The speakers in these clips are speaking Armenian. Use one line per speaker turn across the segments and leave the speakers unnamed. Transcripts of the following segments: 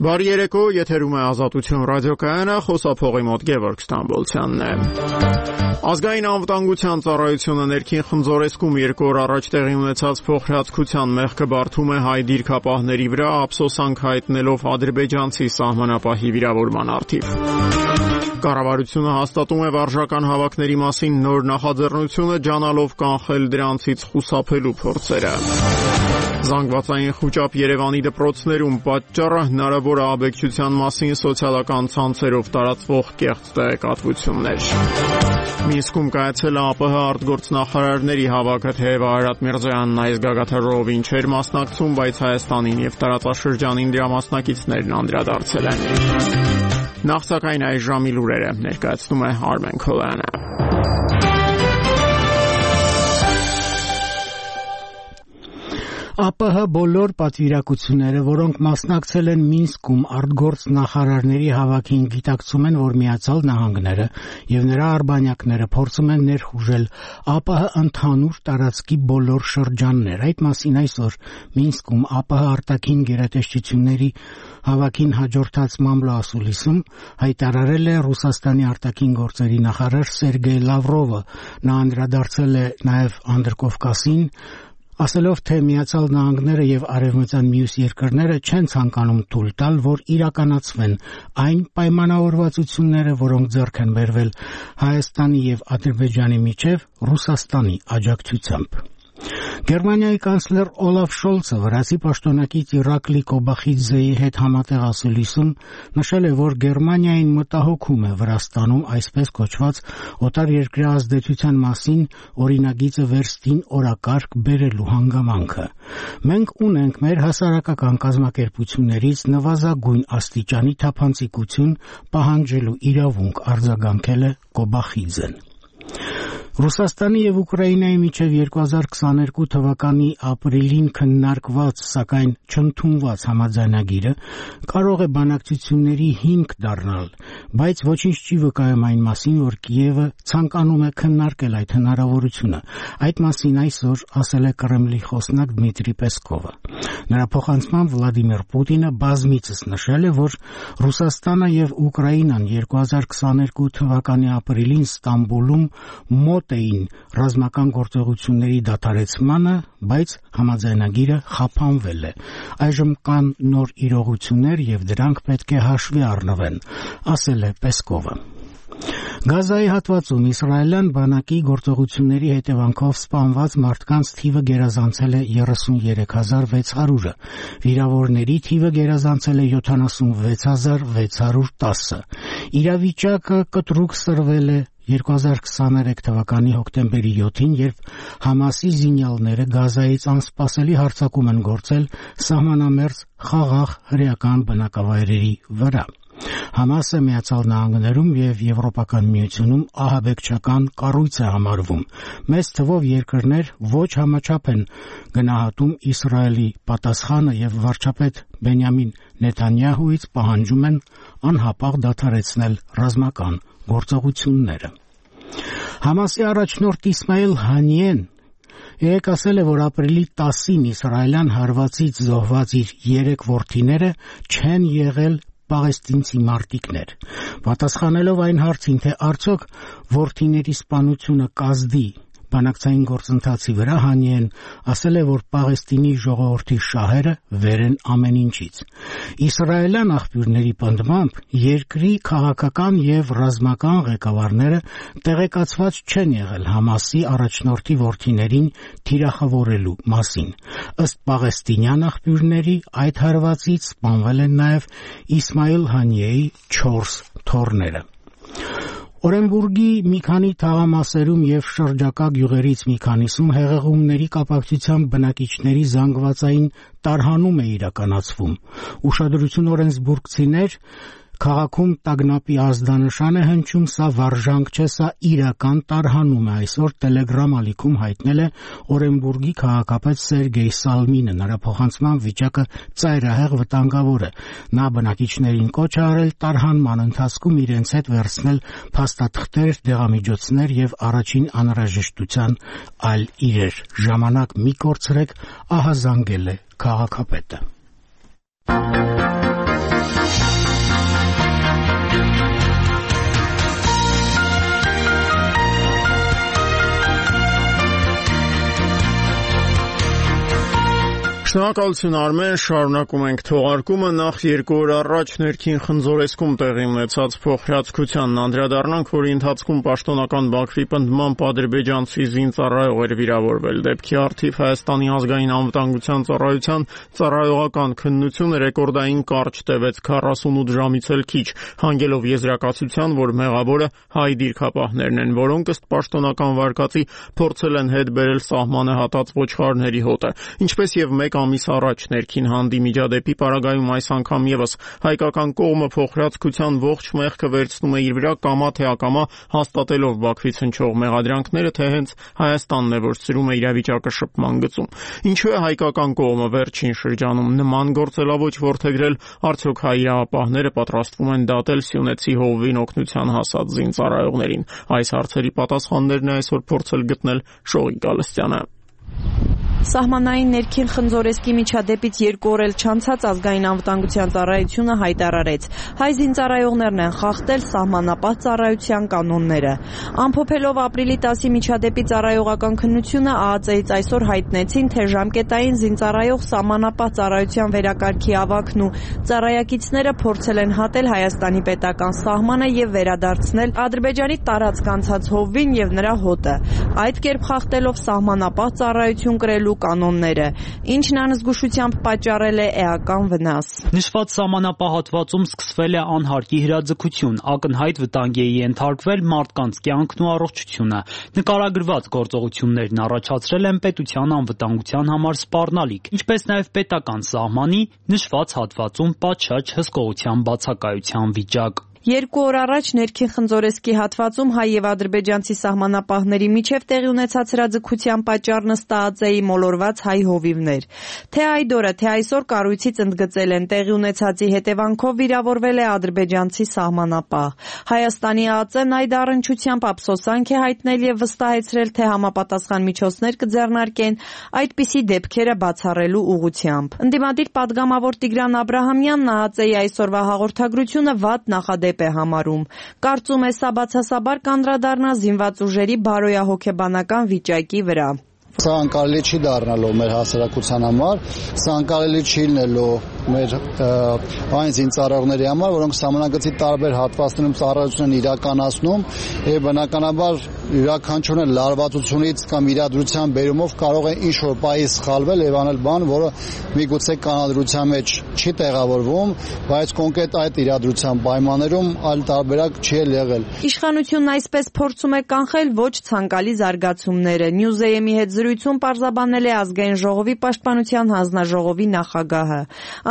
Բարի երեկո, եթերում է Ազատություն ռադիոկայանը, խոսափողի մոտ Գևորգ Ստամբոլցյանն է։ Ազգային անվտանգության ծառայությունը ներքին խնձորեսկում 2 օր առաջ տեղի ունեցած փոխհրաձգության մեղքը բարդում է հայ դիրքապահների վրա, ափսոսանք հայտնելով ադրբեջանցի սահմանապահի վիրավորման առթիվ։ Կառավարությունը հաստատում է վարժական հավաքների մասին նոր նախաձեռնությունը, ջանալով կանխել դրանցից խուսափելու փորձերը։ Զանգվածային խուճապ Երևանի դպրոցներում պատճառը հնարավոր ահաբեկչության մասին սոցիալական ցանցերով տարածվող կեղծ տեղեկատվություններ։ Մինսկում կայացել է ԱՊՀ արտգործնախարարների հավաքը, թեև Արարատ Միրզոյանն այս գագաթարողին չէր մասնակցում, բայց Հայաստանին եւ տարածաշրջանին դրա մասնակիցներն անդրադարձել են։ Նախ սակայն այս ժամի լուրերը ներկայացնում է Արմեն Քոլյանը։
ԱՊՀ բոլոր պատվիրակությունները, որոնք մասնակցել են Մինսկում արտգործ նախարարների հավաքին, գիտակցում են, որ Միացյալ Նահանգները եւ նրա արբանյակները փորձում են ներխուժել ԱՊՀ ընդհանուր տարածքի բոլոր շրջաններ։ Այդ մասին այսօր Մինսկում ԱՊՀ արտաքին գերատեսչությունների հավաքին հաջորդած մամլոասուլիսում հայտարարել է Ռուսաստանի արտաքին գործերի նախարար Սերգեյ Լավրովը։ Նա անդրադարձել է նաեւ Անդրկովկասին, ասելով, թե Միացյալ Նահանգները եւ արևմտյան մյուս երկրները չեն ցանկանում թույլ տալ, որ իրականացվեն այն պայմանավորվածությունները, որոնք ձեռք են բերվել Հայաստանի եւ Ադրբեջանի միջև Ռուսաստանի աջակցությամբ։ Գերմանիայի կանցլեր Օլաֆ Շոլցը վրացի պաշտոնակից Իրակլի Կոբախիձեի հետ համատեղ ասուլիսում նշել է, որ Գերմանիային մտահոգում է Վրաստանում այսպես կոչված օտարերկրյա ազդեցության մասին օրինագիծը վերստին օրակարգ բերելու հանգամանքը։ Մենք ունենք մեր հասարակական կազմակերպություններից նվազագույն աստիճանի թափանցիկություն պահանջելու իրավունք, արձագանքել է Կոբախիձեն։ Ռուսաստանի եւ Ուկրաինայի միջև 2022 թվականի ապրիլին քննարկված, սակայն չընդունված համաձայնագիրը կարող է բանակցությունների հիմք դառնալ, բայց ոչինչ չի վկայում այն մասին, որ Կիևը ցանկանում է քննարկել այդ հնարավորությունը։ Այդ մասին այսօր ասել է Կրեմլի խոսնակ Դմիտրի Պեսկովը։ Նրա փոխանցմամբ Վլադիմիր Պուտինը բազմիցս նշել է, որ Ռուսաստանը եւ Ուկրաինան 2022 թվականի ապրիլին Ստամբուլում մոտ էին ռազմական գործողությունների դադարեցմանը, բայց համաձայնագիրը խափանվել է։ Այժմ կան նոր իրողություններ եւ դրանք պետք է հաշվի առնվեն, ասել է Պեսկովը։ Գազայի հատվածում իսրայելյան բանակի գործողությունների հետևանքով սպանված մարդկանց թիվը գերազանցել է 33600-ը, վիրավորների թիվը գերազանցել է 76610։ Իրավիճակը կտրուկ սրվել է 2023 թվականի հոկտեմբերի 7-ին, երբ Համասի զինյալները Գազայից անսպասելի հարձակում են գործել սահմանամերձ խաղաղ հրեական բնակավայրերի վրա։ Համասը Միացյալ Նահանգներում եւ Եվրոպական միությունում ահաբեկչական կառույց է համարվում։ Մեծ թվով երկրներ ոչ համաչափ են գնահատում Իսրայելի պատասխանը եւ վարչապետ Բենյամին Նեթանյահուից պահանջում են անհապաղ դադարեցնել ռազմական գործողությունները։ Համասի առաջնորդ Իսմայիլ Հանիեն ասել է, որ ապրիլի 10-ին իսրայելյան հարվածից զոհված իր 3 որդիները չեն եղել պաղեստինցի մարտիկներ։ Պատասխանելով այն հարցին, թե արդյոք որդիների սպանությունը կազդի բանակցային գործընթացի վրա, Հանիեն ասել է, որ Պաղեստինի ժողովրդի շահերը վեր են ամեն ինչից։ Իսրայելյան աղբյուրների պնդմամբ երկրի քաղաքական եւ ռազմական ղեկավարները տեղեկացված չեն եղել Համասի առաջնորդի որդիներին թիրախավորելու մասին։ Ըստ պաղեստինյան աղբյուրների, այդ հարվածից սպանվել են նաեւ Իսմայիլ Հանիեի 4 թոռները։ Օրենբուրգի մի քանի թաղամասերում եւ շրջակա գյուղերից մի քանիսում հեղեղումների կապակցությամբ բնակիչների զանգվածային տարհանում է իրականացվում։ Ուշադրություն օրենսբուրգցիներ քաղաքում տագնապի ազդանշան է հնչում, սա վարժանք չէ, սա իրական տարհանում է, այսօր Telegram ալիքում հայտնել է Օրենբուրգի քաղաքապետ Սերգեյ Սալմինը, նրա փոխանցման վիճակը ծայրահեղ վտանգավոր է։ Նա բնակիչներին կոչ է արել տարհանման ընթացքում իրենց հետ վերցնել փաստաթղթեր, դեղամիջոցներ եւ առաջին անհրաժեշտության այլ իրեր։ Ժամանակ մի կորցրեք, ահազանգել է քաղաքապետը։
Շնորհակալություն Արմեն, շարունակում ենք թողարկումը, նախ 2 օր առաջ ներքին Խնձորեսկում տեղի ունեցած փոխհրաձգությանն անդրադառնանք, որի ընթացքում պաշտոնական Բաքվի պնդմամբ ադրբեջանցի զինծառայող էր վիրավորվել։ Դեպքի առթիվ Հայաստանի ազգային անվտանգության ծառայության ծառայողական քննությունը ռեկորդային կարճ տևեց 48 ժամից էլ քիչ, հանգելով եզրակացության, որ մեղավորը հայ դիրքապահներն են, որոնք ըստ պաշտոնական վարկածի փորձել են հետ բերել սահմանը հատած ոչխարների հոտը, ինչպես եւ մեկ ամիս առաջ ներքին հանդի միջադեպի պարագայում այս անգամ եւս հայկական կողմը փոխհրաձգության ողջ մեղքը վերցնում է իր վրա կամա թե ակամա, հաստատելով Բաքվից հնչող մեղադրանքները, թե հենց Հայաստանն է, որ սրում է իրավիճակը շփման գծում։ Ինչու է հայկական կողմը վերջին շրջանում նման գործելավոճ որդեգրել, արդյոք հայ իրավապահները պատրաստվում են դատել սյունեցի հովվին օգնության հասած զինծառայողներին։ Այս հարցերի պատասխաններն է այսօր փորձել գտնել Շողիկ Գալստյանը։
Սահմանային ներքին Խնձորեսկի միջադեպից 2 օր էլ չանցած ազգային անվտանգության ծառայությունը հայտարարեց. հայ զինծառայողներն են խախտել սահմանապահ ծառայության կանոնները։ Ամփոփելով ապրիլի 10-ի միջադեպի ծառայողական քննությունը ԱԱԾ-ից այսօր հայտնեցին, թե ժամկետային զինծառայող սահմանապահ ծառայության վերակարգի ավագն ու ծառայակիցները փորձել են հատել Հայաստանի պետական սահմանը եւ վերադարձնել Ադրբեջանի տարածք անցած հովվին եւ նրա հոտը, այդ կերպ խախտելով սահմանապահ ծառայություն կրելու կանոնները, ինչն անզգուշությամբ պատճառել է էական վնաս։
Նշված սահմանապահ հատվածում սկսվել է անհարկի հրաձգություն, ակնհայտ վտանգի է ենթարկվել մարդկանց կյանքն ու առողջությունը։ Նկարագրված գործողություններն առաջացրել են պետության անվտանգության համար սպառնալիք, ինչպես նաև պետական սահմանի նշված հատվածում պատշաճ հսկողության բացակայության վիճակ։
2 օր առաջ ներքին Խնձորեսկի հատվածում հայ եւ ադրբեջանցի սահմանապահների միջև տեղի ունեցած հրաձգության պատճառն ըստ ԱԱԾ-ի մոլորված հայ հովիվներ։ Թե այդ օրը, թե այսօր կառույցից ընդգծել են, տեղի ունեցածի հետևանքով վիրավորվել է ադրբեջանցի սահմանապահ։ Հայաստանի ԱԱԾ-ն այդ առնչությամբ ափսոսանք է հայտնել եւ վստահեցրել, թե համապատասխան միջոցներ կձեռնարկեն այդպիսի դեպքերը բացառելու ուղղությամբ։ Ընդդիմադիր պատգամավոր Տիգրան Աբրահամյանն ԱԱԾ-ի այսօրվա հաղորդագրությունը վատ նախադեպ է համարում։ Կարծում է, սա բացասաբար կանդրադառնա զինված ուժերի բարոյահոգեբանական վիճակի վրա։
Սա անկարելի չի դառնալու մեր հասարակության համար, սա անկարելի չի լինելու մեր այն զինծառայողների համար, որոնք սահմանագծի տարբեր հատվածներում ծառայություն են իրականացնում եւ բնականաբար յուրաքանչյուրն լարվածությունից կամ իրադրության բերումով կարող է ինչ-որ պահի սխալվել եւ անել բան, որը միգուցե կանոնադրության մեջ չի տեղավորվում, բայց կոնկրետ այդ իրադրության պայմաններում այլ տարբերակ չի եղել։
Իշխանությունն այսպես փորձում է կանխել ոչ ցանկալի զարգացումները։ Նյուզեյեմի հետ զրույցում պարզաբանել է ազգային ժողովի պաշտպանության հանձնաժողովի նախագահը։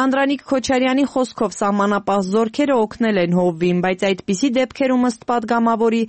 Անդրանիկ Քոչարյանի խոսքով սահմանապահ զորքերը օգնել են հովվին, բայց այդպիսի դեպքերում ըստ պատգամավորի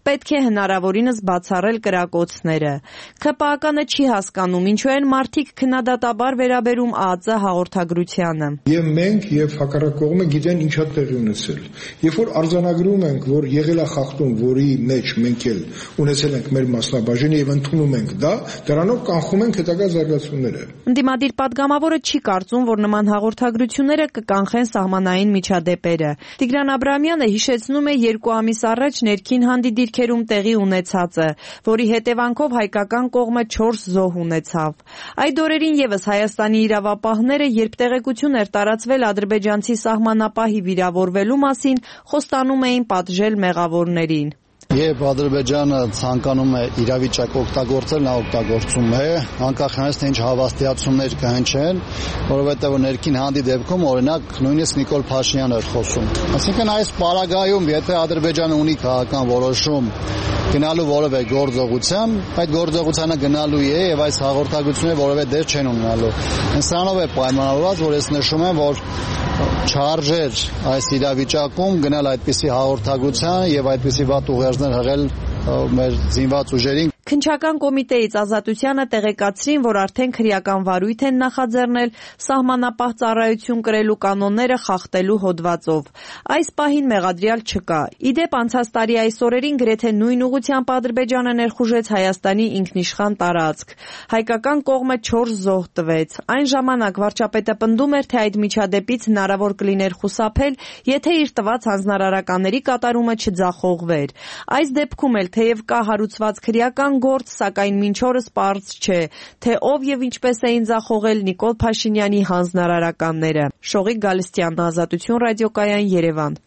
պետք է հնարավորինս բացառել կրակոցները։ ՔՊԱԿ-ը չի հասկանում, ինչու են մարդիկ քննադատաբար վերաբերում ԱԱԾ հաղորդագրությանը։
Եվ մենք եւ հակառակ կողմը գիտեն ինչա տեղի ունեցել։ Երբ որ արձանագրում ենք, որ եղել է խախտում, որի մեջ մենք էլ ունեցել ենք մեր մասնաբաժինը եւ ընդունում ենք դա, դրանով կանխում ենք հետագա զարգացումները։
Ընդդիմադիր պատգամավորը չի կարծում, որ նման հաղորդագրությունները կկանխեն սահմանային միջադեպերը։ Տիգրան Աբրահամյանը հիշեցնում է 2 ամիս առաջ ներքին հանդի դիրքերում տեղի ունեցածը, որի հետևանքով հայկական կողմը 4 զոհ ունեցավ։ Այդ օրերին եւս Հայաստանի իրավապահները, երբ տեղեկություն էր տարածվել ադրբեջանցի սահմանապահի վիրավորվելու մասին, խոստանում էին պատժել մեղավորներին։
Երբ Ադրբեջանը ցանկանում է իրավիճակ օգտագործել, նա օգտագործում է, անկախ նրանից թե ինչ հավաստիացումներ կհնչեն, որովհետև ներքին հանդի դեպքում օրինակ նույնիսկ Նիկոլ Փաշինյանը էր խոսում։ Այսինքն այս պարագայում, եթե Ադրբեջանը ունի քաղաքական որոշում գնալու որևէ գործողության, այդ գործողությանը գնալու է եւ այս հաղորդագրությունները որևէ դեր չեն ունենալու։ Սրանով է պայմանավորված, որ ես նշում եմ, որ չարժեր այս իրավիճակում գնալ այդպիսի հաղորդագրության եւ այդպիսի վատ ուղերձներ հղել մեր զինված ուժերին։
Քննչական կոմիտեից Ազատությանը տեղեկացրին, որ արդեն քրեական վարույթ են նախաձեռնել սահմանապահ ծառայություն կրելու կանոնները խախտելու հոդվածով։ Այս պահին մեղադրյալ չկա։ Իդեպ անցած տարի այս օրերին գրեթե նույն ուղղությամբ Ադրբեջանը ներխուժեց Հայաստանի ինքնիշխան տարածք։ Հայկական կողմը 4 զոհ տվեց։ Այն ժամանակ վարչապետը պնդում էր, թե այդ միջադեպից հնարավոր կլիներ խուսափել, եթե իր տված հանձնարարականների կատարումը չձախողվեր։ Այս դեպքում էլ թեև կա հարուցված քրեական կոռուպցիոն գործ, սակայն մինչ օրս պարզ չէ, թե ով եւ ինչպես էին ձախողել Նիկոլ Փաշինյանի հանձնարարականները։ Շողիկ Գալստյան, Ազատություն ռադիոկայան, Երևան։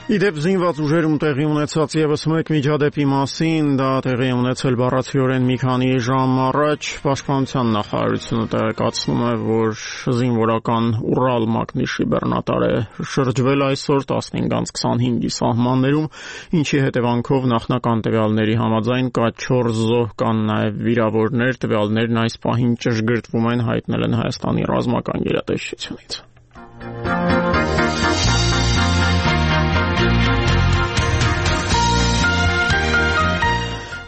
Իդեպ զինված ուժերում տեղի ունեցած եւս մեկ միջադեպի մասին, դա տեղի ունեցել բառացիորեն մի քանի ժամ առաջ, Պաշտպանության նախարարությունը տեղեկացնում է, որ զինվորական Ուրալ մակնիշի բեռնատար է շրջվել այսօր 15:25-ի սահմաններում, ինչի հետևանքով նախնական տվյալների համաձայն կա 4 զոհ, կան նաեւ վիրավորներ, տվյալներն այս պահին ճշգրտվում են, հայտնել են Հայաստանի ռազմական գերատեսչությունից։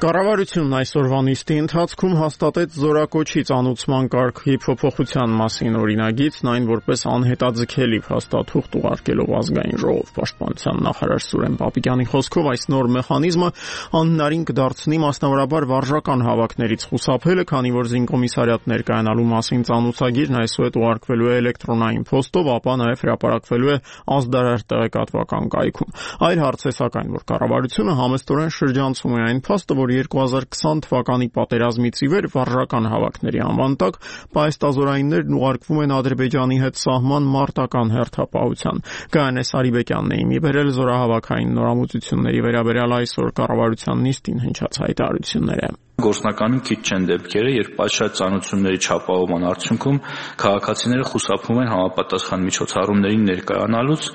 Կառավարությունն այսօրվա նիստի ընթացքում հաստատեց զորակոչի ծանուցման կարգի փոփոխության մասին օրինագիծն, այն որպես անհետաձգելի փաստաթուղթ ուղարկելով ազգային ժողով։ Պաշտպանության նախարար Սուրեն Պապիկյանի խոսքով այս նոր մեխանիզմը անհնարին կդարձնի մասնավորաբար վարժական հավաքներից խուսափելը, քանի որ զինկոմիսարիատներ կայանալու մասին ծանուցագիրն այսուհետ ուղարկվելու է էլեկտրոնային փոստով, ապա նաև հրապարակվելու է ազդարար տեղեկատվական կայքում։ Այլ հարց է սակայն, որ կառավարությունը համեստորեն շրջանցում է այն փաստը, որ 2020 թվականի պատերազմից ի վեր վարժական հավաքների անվան տակ պայստազորայիններն ուղարկվում են Ադրբեջանի հետ սահման մարտական հերթապահության։ Գայանե Սարիբեկյանն է իմի բերել զորահավաքային նորամուծությունների վերաբերյալ այսօր կառավարության նիստին հնչած հայտարարությունները։
Գործնականում քիչ չեն դեպքերը, երբ պատշաճ ծանոթությունների չապահովման արդյունքում քաղաքացիները խուսափում են համապատասխան միջոցառումներին ներկայանալուց։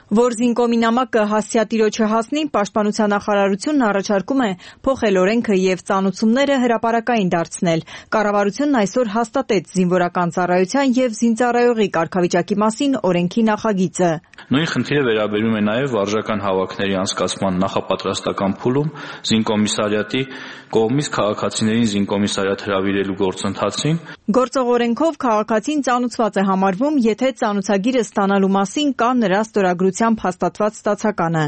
Որ զինկոմի նամակը հասցեատիրոջը հասնի, Պաշտպանության նախարարությունն առաջարկում է փոխել օրենքը եւ ծանուցումները հրապարակային դարձնել։ Կառավարությունն այսօր հաստատեց զինվորական ծառայության եւ զինծառայողի կարգավիճակի մասին օրենքի նախագիծը։
Նույն խնդիրը վերաբերում է նաեւ վարժական հավաքների անցկացման նախապատրաստական փուլում զինկոմիսարիատի կողմից քաղաքացիներին զինկոմիսարիատ հրավիրելու գործընթացին։
Գործող օրենքով քաղաքացին ծանուցված է համարվում, եթե ծանուցագիրը ստանալու մասին կա նրա ստորագրությամբ հաստատված ստացականը։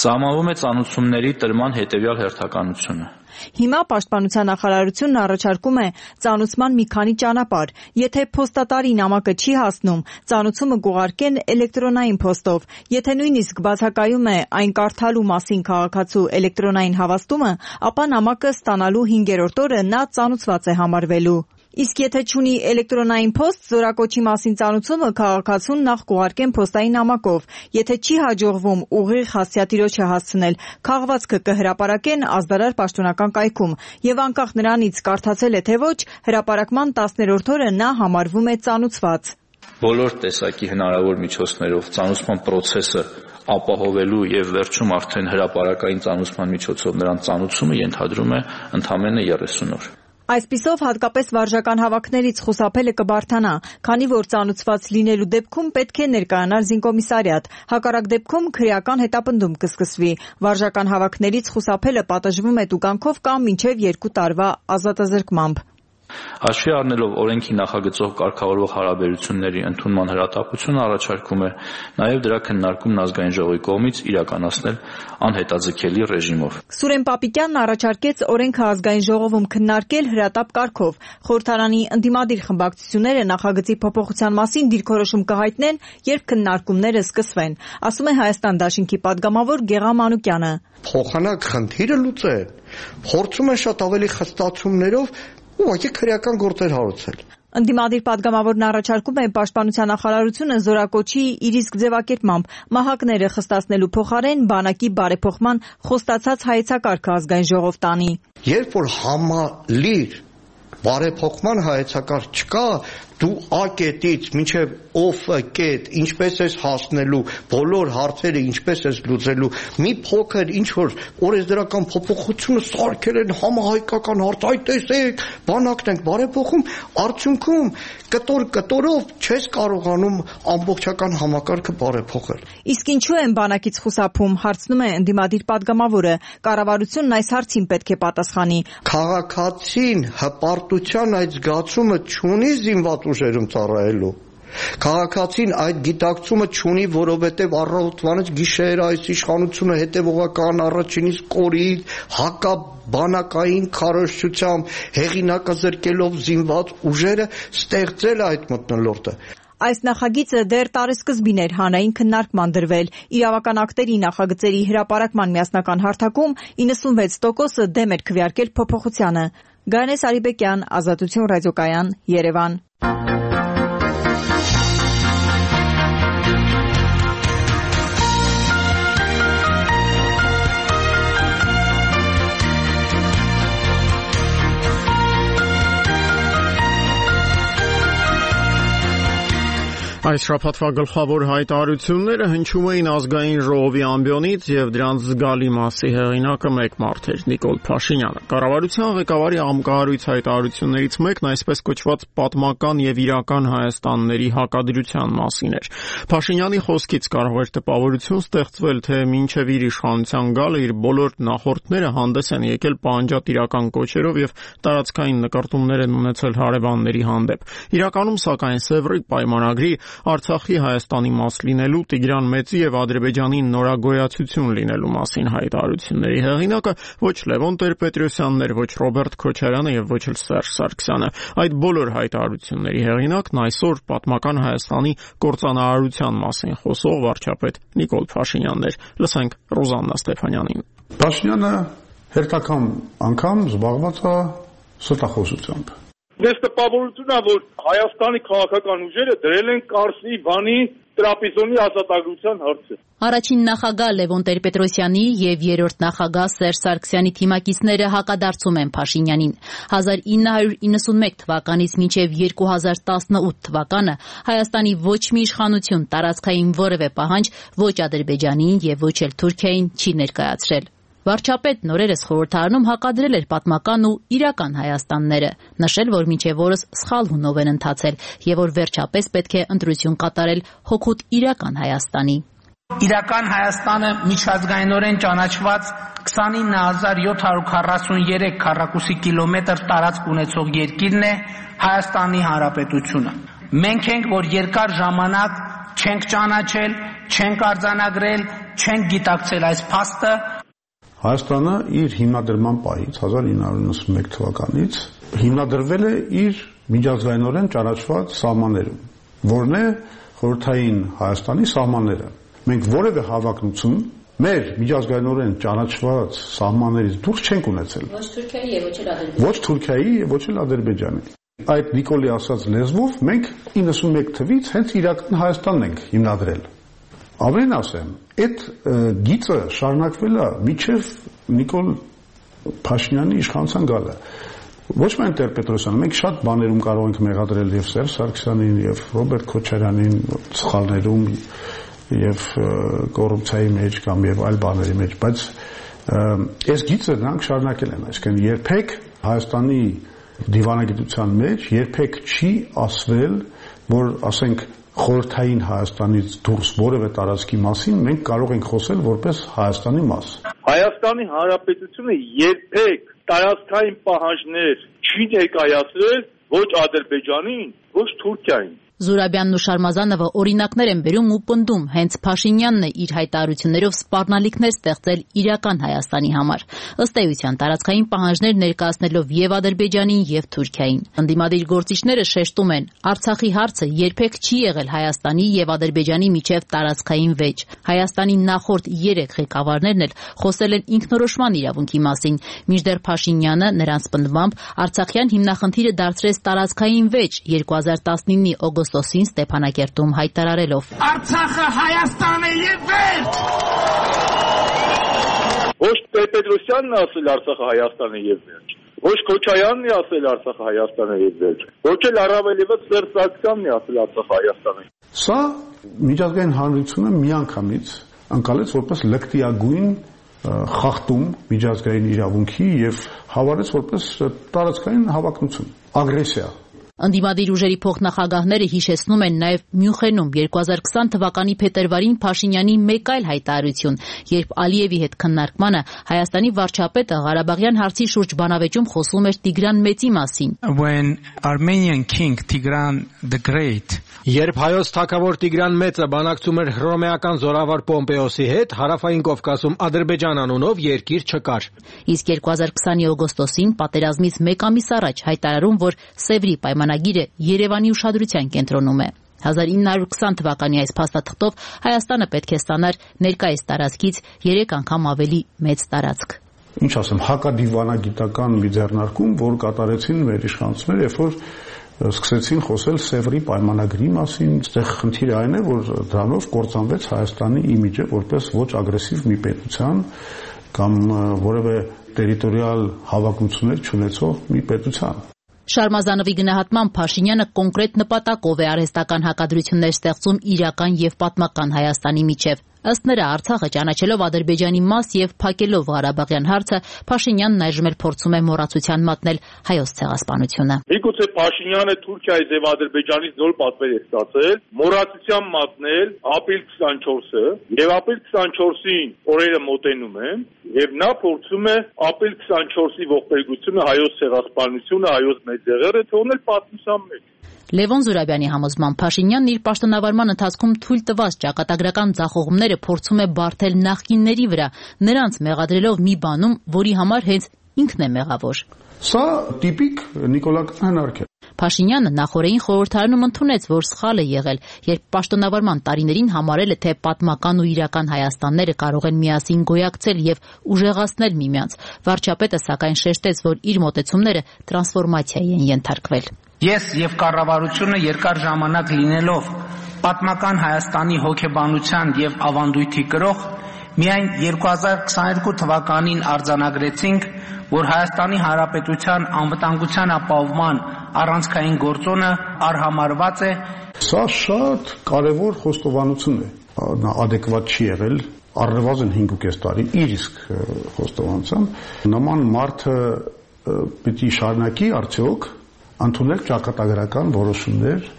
Սահմանվում է ծանուցումների տրման հետևյալ հերթականությունը։
Հիմա Պաշտպանության նախարարությունն առաջարկում է ծանուցման մի քանի ճանապարհ։ Եթե փոստատարի նամակը չի հասնում, ծանուցումը կուղարկեն էլեկտրոնային փոստով։ Եթե նույնիսկ բացակայում է այն կարդալու մասին քաղաքացու էլեկտրոնային հավաստումը, ապա նամակը ստանալու 5-րդ օրը նա ծանուցված է համարվելու։ Իսկ եթե չունի էլեկտրոնային փոստ, զորակոչի մասին ծանուցումը քաղաքացուն նախ կուղարկեն փոստային նամակով։ Եթե չի հաջողվում ուղիղ հասցեատիրոջը հասցնել, քաղվածքը կհրապարակեն ազդարար պաշտոնական կայքում, եւ անկախ նրանից կարդացել է թե ոչ, հրապարակման 10-րդ օրը նա համարվում է ծանուցված։
Բոլոր տեսակի հնարավոր միջոցներով ծանուցման process-ը ապահովելու եւ վերջում արդեն հրապարակային ծանուցման միջոցով նրան ծանուցումը ենթադրում է ընդամենը 30 օր։
Այսպիսով հատկապես վարժական հավաքներից խուսափելը կբարդանա, քանի որ ծանուցված լինելու դեպքում պետք է ներկայանալ զինկոմիսարիատ, հակառակ դեպքում քրեական հետապնդում կսկսվի։ Վարժական հավաքներից խուսափելը պատժվում է տուգանքով կամ մինչև 2 տարվա ազատազրկմամբ։
Հաշվի առնելով օրենքի նախագծող կարգավորող հարաբերությունների ընդունման հրատապությունը առաջարկում է նաև դրա քննարկումն ազգային ժողովի կողմից իրականացնել անհետաձգելի ռեժիմով։
Սուրեն Պապիկյանն առաջարկեց օրենքը ազգային ժողովում քննարկել հրատապ կարգով։ Խորհրդարանի ընդդիմադիր խմբակցությունները նախագծի փոփոխության մասին դիրքորոշում կհայտնեն, երբ քննարկումները սկսվեն, ասում է Հայաստան Դաշինքի падգամավոր Գեղամ Մանուկյանը։
Փոխանակ խնդիրը լուծեն, փորձում են շատ ավելի խստացումներով ուղղակի քրեական գործեր հարուցել։
Ընդդիմադիր падգամավորն առաջարկում է Պաշտպանության նախարարությունը զորակոչի իր իսկ ձևակերպմամբ մահակները խստացնելու փոխարեն բանակի բարեփոխման խոստացած հայեցակարգը ազգային ժողով տանի։
Երբ որ համալիր բարեփոխման հայեցակարգ չկա, դու A կետից մինչև Ով կետ, ինչպես ես հասնելու, բոլոր հարցերը ինչպես ես լուծելու, մի փոքր ինչ որ օրենսդրական փոփոխությունը սարքել են համահայկական հարց, այ տեսեք, բանակն ենք բարեփոխում, արդյունքում կտորով չես կարողանում ամբողջական համակարգը բարեփոխել։
Իսկ ինչու են բանակից խուսափում, հարցնում է ընդդիմադիր падգամավորը, կառավարությունն այս հարցին պետք է պատասխանի։
Քաղաքացին հպարտության այդ զգացումը չունի զինված ուժերում ծառայելու։ Քաղաքացին այդ գիտակցումը չունի, որովհետև առավոտվանից գիշեր այս իշխանությունը հետևողական առաջինից կորից հակաբանակային քարոզչությամբ հեղինակազրկելով զինված ուժերը ստեղծել այդ մթնոլորտը։
Այս նախագիծը դեռ տարեսկզբին էր հանրային քննարկման դրվել։ Իրավական ակտերի նախագծերի հրապարակման միասնական հարթակում 96%-ը դեմ էր քվեարկել փոփոխությանը։ Գայանե Սարիբեկյան, Ազատություն ռադիոկայան, Երևան։
Այս շաբաթվա գլխավոր հայտարարությունները հնչում էին ազգային ժողովի ամբիոնից եւ դրանց զգալի մասի հեղինակը մեկ մարդ էր՝ Նիկոլ Փաշինյանը։ Կառավարության ղեկավարի անկարույց հայտարարություններից մեկն այսպես կոչված պատմական եւ իրական Հայաստանների հակադրության մասին էր։ Փաշինյանի խոսքից կարող էր տպավորություն ստեղծվել, թե մինչեւ իր իշխանության գալը իր բոլոր նախորդները հանդես են եկել պահանջատիրական կոչերով եւ տարածքային նկարտումներ են ունեցել հարևանների հանդեպ։ Իրականում, սակայն, Սևրի պայմանագրի Արցախի Հայաստանի մաս լինելու, Տիգրան Մեծի եւ Ադրբեջանի նորագոյացություն լինելու մասին հայտարարությունների հեղինակը ոչ Լևոն Տեր-Պետրոսյանն էր, ոչ Ռոբերտ Քոչարյանը եւ ոչ էլ Սերժ Սարգսյանը։ Այդ բոլոր հայտարարությունների հեղինակն այսօր պատմական Հայաստանի կործանարարության մասին խոսող վարչապետ Նիկոլ Փաշինյանն էր։ Լսենք Ռոզաննա Ստեփանյանին։
Փաշինյանը հերթական անգամ զբաղված է սրտախոսությամբ։
Ես տպավորություն է, որ Հայաստանի քաղաքական ուժերը դրել են Կարսի, Վանի, Տրապիզոնի ազատագրության հարցը։
Առաջին նախագահ Լևոն Տեր-Պետրոսյանի եւ երրորդ նախագահ Սերժ Սարգսյանի թիմակիցները հակադարձում են Փաշինյանին։ 1991 թվականից մինչեւ 2018 թվականը Հայաստանի ոչ մի իշխանություն տարածքային որևէ պահանջ ոչ Ադրբեջանին եւ ոչ էլ Թուրքիային չի ներկայացրել։ Վարչապետն օրերս խորհրդարանում հակադրել էր պատմական ու իրական Հայաստանները, նշել, որ մինչև օրս սխալ հունով են ընթացել եւ որ վերջապես պետք է ընտրություն կատարել հօգուտ իրական Հայաստանի։
Իրական Հայաստանը միջազգայինորեն ճանաչված 29743 քառակուսի կիլոմետր տարածք ունեցող երկիրն է Հայաստանի Հանրապետությունը։ Մենք ենք, որ երկար ժամանակ չենք ճանաչել, չենք արձանագրել, չենք գիտակցել այս փաստը։
Հայաստանը իր հիմնադրման պահից 1991 թվականից հիմնադրվել է իր միջազգայինորեն ճանաչված սահմաններում, որն է խորհրդային Հայաստանի սահմանները։ Մենք որևէ հավակնություն մեր միջազգայինորեն ճանաչված սահմաններից դուրս չենք ունեցել։ Ոչ Թուրքիայի եւ ոչ էլ Ադրբեջանի։ Այդ Նիկոլի ասած լեզվով մենք 91 թվից հենց իրական Հայաստանն ենք հիմնադրել։ Ավելին ասեմ, այդ գիծը շարունակվել է մինչև Նիկոլ Փաշինյանի իշխանության գալը։ Ոչ միայն Տեր-Պետրոսյանը, մենք շատ բաներում կարող ենք մեղադրել եւ Սերժ Սարգսյանին եւ Ռոբերտ Քոչարյանին սխալներում եւ կոռուպցիայի մեջ կամ եւ այլ բաների մեջ, բայց այս գիծը նրանք շարունակել են, այսինքն երբեք Հայաստանի դիվանագիտության մեջ երբեք չի ասվել, որ ասենք խորհրդային Հայաստանից դուրս որևէ տարածքի մասին մենք կարող ենք խոսել որպես Հայաստանի մաս։
Հայաստանի Հանրապետությունը երբեք տարածքային պահանջներ չի ներկայացրել ոչ Ադրբեջանին, ոչ Թուրքիային։
Զուրաբյանն ու Շարմազանովը օրինակներ են բերում ու պնդում, հենց Փաշինյանն է իր հայտարարություններով սպառնալիքներ ստեղծել իրական Հայաստանի համար, ըստ էության տարածքային պահանջներ ներկայացնելով եւ Ադրբեջանին եւ Թուրքիային։ Ընդդիմադիր գործիչները շեշտում են, Արցախի հարցը երբեք չի եղել Հայաստանի եւ Ադրբեջանի միջև տարածքային վեճ։ Հայաստանի նախորդ 3 ղեկավարներն էլ խոսել են ինքնորոշման իրավունքի մասին, մինչդեռ Փաշինյանը նրանց պնդմամբ Արցախյան հիմնախնդիրը դարձրեց տարածքային վեճ 2019-ի օգոստոսին Ստեփանակերտում հայտարարելով.
Արցախը Հայաստան է եւ վերջ։
Ոչ Տեր-Պետրոսյանն ասել Արցախը Հայաստան է եւ վերջ։ Ոչ Քոչարյանն է ասել Արցախը Հայաստան է եւ վերջ։ Ոչ էլ առավելևս Սերժ Սարգսյանն է ասել Արցախը Հայաստան է։
Սա միջազգային հանրությունը միանգամից անցալեց որպես լկտիագույն խախտում միջազգային իրավունքի եւ հավարեց որպես տարածքային հավակնություն, ագրեսիա։
Ընդդիմադիր ուժերի փոխնախագահները հիշեցնում են նաև Մյունխենում 2020 թվականի փետրվարին Փաշինյանի մեկ այլ հայտարարություն, երբ Ալիևի հետ քննարկմանը Հայաստանի վարչապետը Ղարաբաղյան հարցի շուրջ բանավեճում խոսում էր Տիգրան Մեծի մասին։
When Armenian king Tigran the Great
Երբ հայոց թագավոր Տիգրան Մեծը բանակցում էր հռոմեական զորավար Պոմպեոսի հետ, Հարավային Կովկասում Ադրբեջան անունով երկիր չկար։
Իսկ 2020-ի օգոստոսին պատերազմից մեկ ամիս առաջ հայտարարում, որ Սևրի պայմանագիրը Երևանի ուշադրության կենտրոնում է։ 1920 թվականի այս փաստաթղթով Հայաստանը պետք է ստանար ներկայիս տարածքից 3 անգամ ավելի մեծ տարածք։
Ինչ ասեմ, հակադիվանագիտական մի ձեռնարկում, որ կատարեցին մեր իշխանությունները, երբ որ սկսեցին խոսել Սևրի պայմանագրի մասին, այստեղ խնդիրը այն է, որ դրանով կործանվեց Հայաստանի իմիջը որպես ոչ ագրեսիվ մի պետության կամ որևէ տերիտորիալ հավակնություններ չունեցող մի պետության։
Շարմազանովի գնահատմամբ Փաշինյանը կոնկրետ նպատակով է արհեստական հակադրություններ ստեղծում իրական եւ պատմական Հայաստանի միջև։ Ըստ նրա, Արցախը ճանաչելով Ադրբեջանի մաս եւ փակելով Ղարաբաղյան հարցը, Փաշինյանն այժմ էլ փորձում է մոռացության մատնել հայոց ցեղասպանությունը։
Միգուցե Փաշինյանը Թուրքիայից եւ Ադրբեջանից նոր պատվեր է ստացել, մոռացության մատնել ապրիլ 24-ը, եւ ապրիլ 24-ին օրերը մոտենում են, եւ նա փորձում է ապրիլ 24-ի ողբերգությունը, հայոց ցեղասպանությունը, հայոց մեծեղերը թողնել պատմության մեջ։
Լևոն Զուրաբյանի համոզմամբ Փաշինյանն իր պաշտոնավարման ընթացքում թույլ տված ճակատագրական ձախողումները փորձում է բարթել նախկինների վրա, նրանց մեղադրելով մի բանում, որի համար հենց ինքն է մեղավոր։
Սա տիպիկ նիկոլական հնարք է։
Փաշինյանը նախորդին խորհրդարանում ընդունեց, որ սխալ է եղել, երբ պաշտոնավարման տարիներին համարել է, թե պատմական ու իրական Հայաստանները կարող են միասին գոյակցել եւ ուժեղացնել միմյանց։ Վարչապետը սակայն շեշտեց, որ իր մոտեցումները տրանսֆորմացիայի են ենթարկվել։
Ես եւ կառավարությունը երկար ժամանակ լինելով պատմական Հայաստանի հոգեբանության եւ ավանդույթի կրող, միայն 2022 թվականին արձանագրեցինք, որ Հայաստանի Հանրապետության անվտանգության ապահովման առանցքային գործոնը արհամարված է։
Սա շատ կարևոր խոստովանություն է։ Նա ադեկվատ չի եղել առնվազն 5.5 տարի իր իսկ խոստովանությամբ։ Նման մարդը պիտի շարունակի արդյոք ընդունել ճակատագրական որոշումներ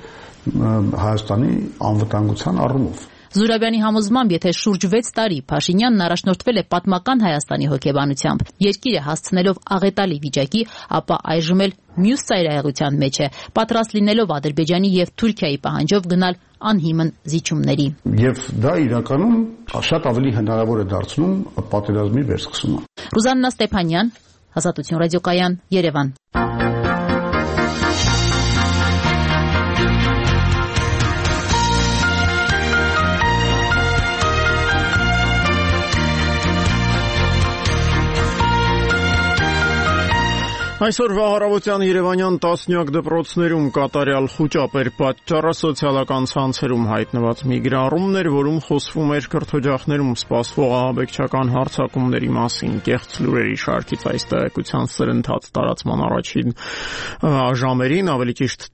Հայաստանի անվտանգության առումով։
Զուրաբյանի համոզմամբ, եթե շուրջ 6 տարի Փաշինյանն առաջնորդվել է պատմական Հայաստանի հոգեբանությամբ, երկիրը հասցնելով աղետալի վիճակի, ապա այժմ էլ մյուս ծայրահեղության մեջ է, պատրաստ լինելով Ադրբեջանի եւ Թուրքիայի պահանջով գնալ անհիմն զիջումների։
Եվ դա իրականում շատ ավելի հնարավոր է դարձնում պատերազմի վերսկսումը։
Ռուզաննա Ստեփանյան, Ազատություն ռադիոկայան, Երևան։
Այսօրվա առավոտյան Երևանյան տասնյակ դպրոցներում կատարյալ խուճապ էր պատճառը սոցիալական ցանցերում հայտնված մի գրառումն էր, որում խոսվում էր կրթօջախներում սպասվող ահաբեկչական հարձակումների մասին։ Կեղծ լուրերի շարքից այս տեղեկության սրընթաց տարածման առաջին ժամերին, ավելի ճիշտ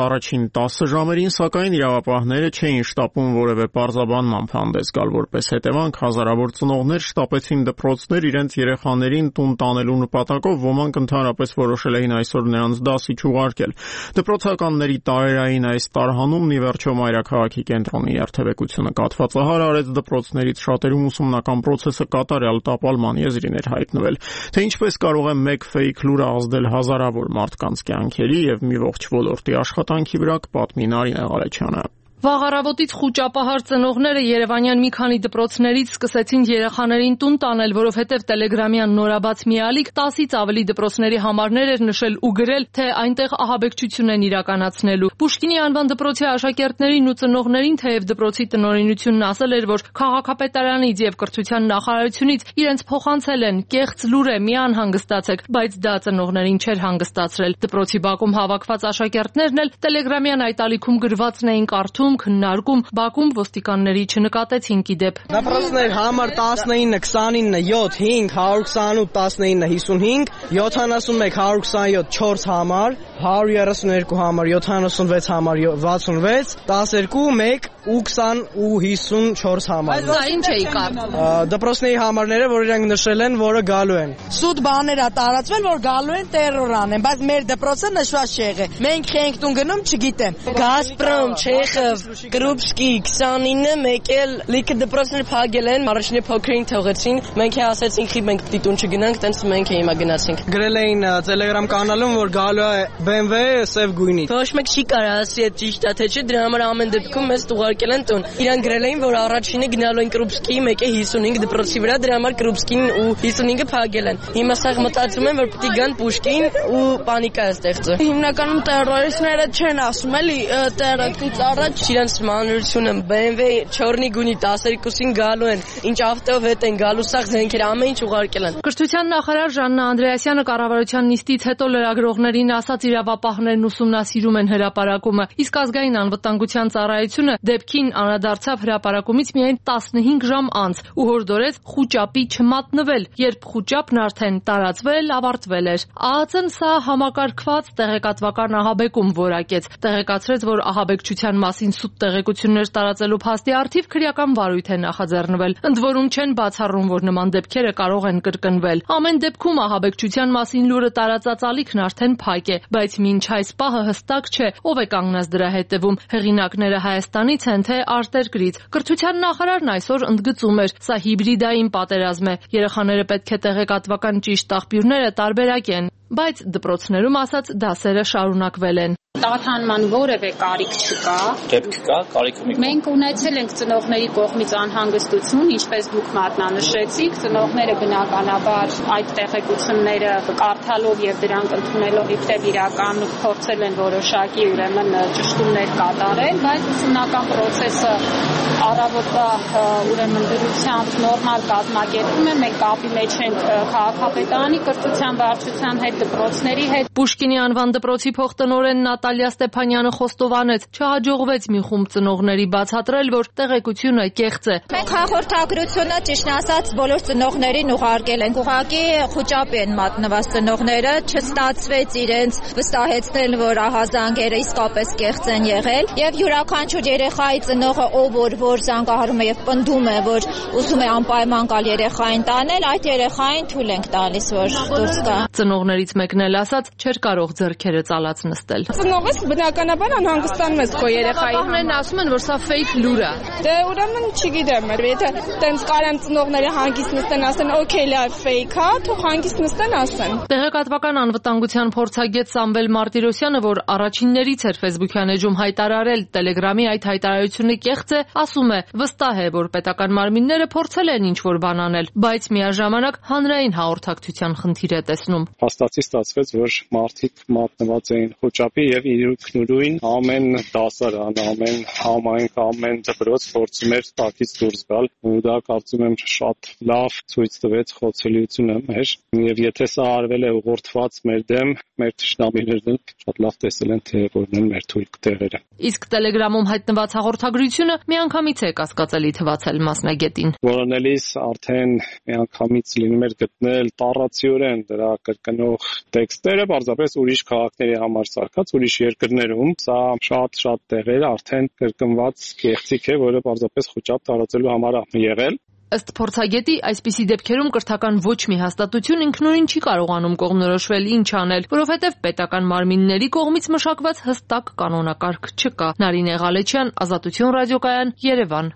առաջին 10 ժամերին, սակայն իրավապահները չէին շտապում որևէ պարզաբանման հանդես գալ, որպես հետևանք հազարավոր ծնողներ շտապեցին դպրոցներ իրենց երեխաներին տուն տանելու նպատակով, ոմանք ընդհանրապես որոշել էին այսօր նրանց դասի չուղարկել։ Դպրոցականների տարերային այս տարհանումն ի վերջո մայրաքաղաքի կենտրոնի երթևեկությունը կաթվածահար արեց դպրոցներից շատերում ուսումնական process-ը կատարյալ տապալման եզրին էր հայտնվել։ Թե ինչպես կարող է մեկ fake լուրը ազդել հազարավոր մարդկանց կյանքերի եւ մի ողջ ոլորտի աշխատանքի վրա, կպատմի Նարինե Ղարեչյանը։
Վաղ առավոտից խուճապահար ծնողները Երևանյան մի քանի դպրոցներից սկսեցին երեխաներին տուն տանել, որովհետև Տելեգրամյան նորաբաց մի ալիք 10-ից ավելի դպրոցների համարներ էր նշել ու գրել, թե այնտեղ ահաբեկչություն են իրականացնելու։ Պուշկինի անվան դպրոցի աշակերտներին ու ծնողներին թեև դպրոցի տնօրինությունն ասել էր, որ քաղաքապետարանից եւ կրթության նախարարությունից իրենց փոխանցել են կեղծ լուր է, մի անհանգստացեք, բայց դա ծնողներին չէր հանգստացրել։ Դպրոցի բակում հավաքված աշակերտներն էլ Տելեգրամյան այդ ալիքում գրվածն էին կարդում, քննարկում, բակում ոստիկանների չնկատեցին կիդեպ։
Դպրոցներ համար 19, 29, 7, 5, 128, 19, 55, 71, 127, 4 համար, 132 համար, 76 համար, 66, 12, 1 ու 20 ու 54 համար։
Դա ինչ է իկար։
Դպրոցների համարները, որ իրենք նշել են, որը գալու են։
Սուտ բաներ է տարածվել, որ գալու են տերոր անեն, բայց մեր դպրոցը նշված չի եղել։ Մենք ենք տուն գնում, չգիտեմ։ Գազպրոմ, Չեխով, Կրուպսկի 29-ը մեկ էլ լիքը դպրոցներ փակել են, առաջինը փոքրին թողեցին։ Մենք ասեցինք, խի մենք պիտի տուն չգնանք, տենց մենք հիմա գնացինք։
Գրել էին Telegram կանալում, որ գալու է BMW սև գույնի։
Ոչ մեկ չի կարող ասի այդ ճիշտ է թե չէ, դրա համար ամեն դեպքում մեզ ուղարկել են տուն։ Իրան գրել էին, որ առաջինը գնալու են Կրուպսկի, մեկը 55 դպրոցի վրա, դրա համար Կրուպսկին ու 55-ը փակել են։ Հիմա սա մտածում են, որ պիտի գան Պուշկին ու պանիկա է ստեղծել։ Հիմնականում տերորիստները չեն ասում, էլի terrorից առաջ իրենց մանրությունը BMW չորնի գունի 12-ին գալու են, ինչ ավտոյով հետ են գալու, սա զենքեր ամեն ինչ ուղարկել են։
Կրթության նախարար Ժաննա Անդրեասյանը կառավարության նիստից հետո լրագրողներին ասաց, իրավապահներն ուսումնասիրում են հրապարակումը, իսկ ազգային անվտանգության ծառայությունը դեպքին անդրադարձավ հրապարակումից միայն 15 ժամ անց ու հորդորեց խուճապի չմատնվել, երբ խուճապն արդեն տարածվել, ավարտվել էր։ ԱԱԾ-ն սա համակարգված տեղեկատվական ահաբեկում որակեց, տեղեկացրեց, որ ահաբեկչության մասին սուտ տեղեկություններ տարածելու փաստի առթիվ քրեական վարույթ է նախաձեռնվել։ Ընդ որում չեն բացառում, որ նման դեպքերը կարող են կրկնվել։ Ամեն դեպքում ահաբեկչության մասին լուրը տարածած ալիքն արդեն փակ է, բայց մինչ այս պահը հստակ չէ, ով է կանգնած դրա հետևում։ Հեղինակները Հայաստանից են, թե արտերկրից։ Կրթության նախարարն այսօր ընդգծում էր, սա հիբրիդային պատերազմ է։ Երեխաները պետք է տեղեկատվական ճիշտ աղբյուրները տարբերակեն, բայց դպրոցներում ասած դասերը շարունակվել են։
Տատանման որևէ կարիք չկա։
Դեպք կա, կարիքը մի։
Մենք ունեցել ենք ծնողների կողմից անհանգստություն, ինչպես դուք մատնանշեցիք, ծնողները բնականաբար այդ տեղեկությունները կարդալով եւ դրանք ընդունելով իբրև իրական փորձել են որոշակի ուրեմն ճշտումներ կատարել, բայց ուսումնական process-ը առավոտվա ուրեմն դրությամբ նորմալ կազմակերպում է, մենք կապի մեջ ենք քաղաքապետարանի կրթության վարչության հետ, դպրոցների հետ։
Պուշկինի անվան դպրոցի փոխտնօրեն Նատալիա Ստեփանյանը խոստովանեց, չհաջողվեց մի խումբ ծնողների բացատրել, որ տեղեկությունը կեղծ է։
Մենք հաղորդագրությունը ճիշտ ասած բոլոր ծնողներին ուղարկել ենք, ուղղակի խուճապի են մատնված ծնողները, չստացվեց իրենց վստահեցնել, որ ահազանգերը իսկապես կեղծ են եղել, եւ յուրաքանչյուր երեխայի ծնողը ով որ զանգահարում է եւ պնդում է, որ ուզում է անպայման գալ երեխային տանել, այդ երեխային թույլ ենք տալիս, որ դուրս գա։
Ծնողներից մեկն էլ ասաց, չէր կարող ձեռքերը ծալած նստել։
Ծնողս բնականաբար անհանգստանում ես քո երեխայի համար։
Ապահներն ասում են, որ սա ֆեյք լուր է։
Դե ուրեմն չգիտեմ, եթե տենց կարան ծնողները հանգիստ նստեն, ասեն, օքեյ, լավ, ֆեյք է, թող հանգիստ նստեն, ասեն։
Տեղեկատվական անվտանգության փորձագետ Սամվել Մարտիրոսյանը, որ առաջիններից էր Facebook-յան էջում հայտարարել Telegram-ի այդ հայտարարությունը կեղծ է, ասում է, վստահ է, որ պետական մարմինները փորձել են ինչ-որ բան անել, բայց միաժամանակ հանրային հաղորդակցության խնդիր է տեսնում։
Փաստացի ստացվեց, որ մարդիկ մատնված էին խոճապի եւ իրույքնուրույն ամեն դասարան, ամեն համայնք, ամեն դպրոց փորձում էր տակից դուրս գալ, ու դա կարծում եմ շատ լավ ցույց տվեց խոցելիությունը մեր, եւ եթե սա արվել է ուղղորդված մեր դեմ, մեր թշնամիներն շատ լավ տեսել են, թե որն են մեր թույլ տեղերը։
Իսկ Telegram-ում հայտնված հաղորդագրությունը միանգամից է կասկածելի թվացել մասնագետին։
Որոնելիս արդեն միանգամից լինում էր գտնել տառացիորեն դրա կրկնող տեքստերը, պարզապես ուրիշ քաղաքների համար սարքած, ուրիշ երկրներում, սա շատ տեղեր արդեն կրկնված կեղծիք է, որը պարզապես խոճապ տարածելու համար է եղել։
Ըստ փորձագետի, այսպիսի դեպքերում կրթական ոչ մի հաստատություն ինքնուրույն չի կարողանում կողմնորոշվել ինչ անել, որովհետև պետական մարմինների կողմից մշակված հստակ կանոնակարգ չկա։ Նարինե Ղալեչյան, Ազատություն ռադիոկայան, Երևան։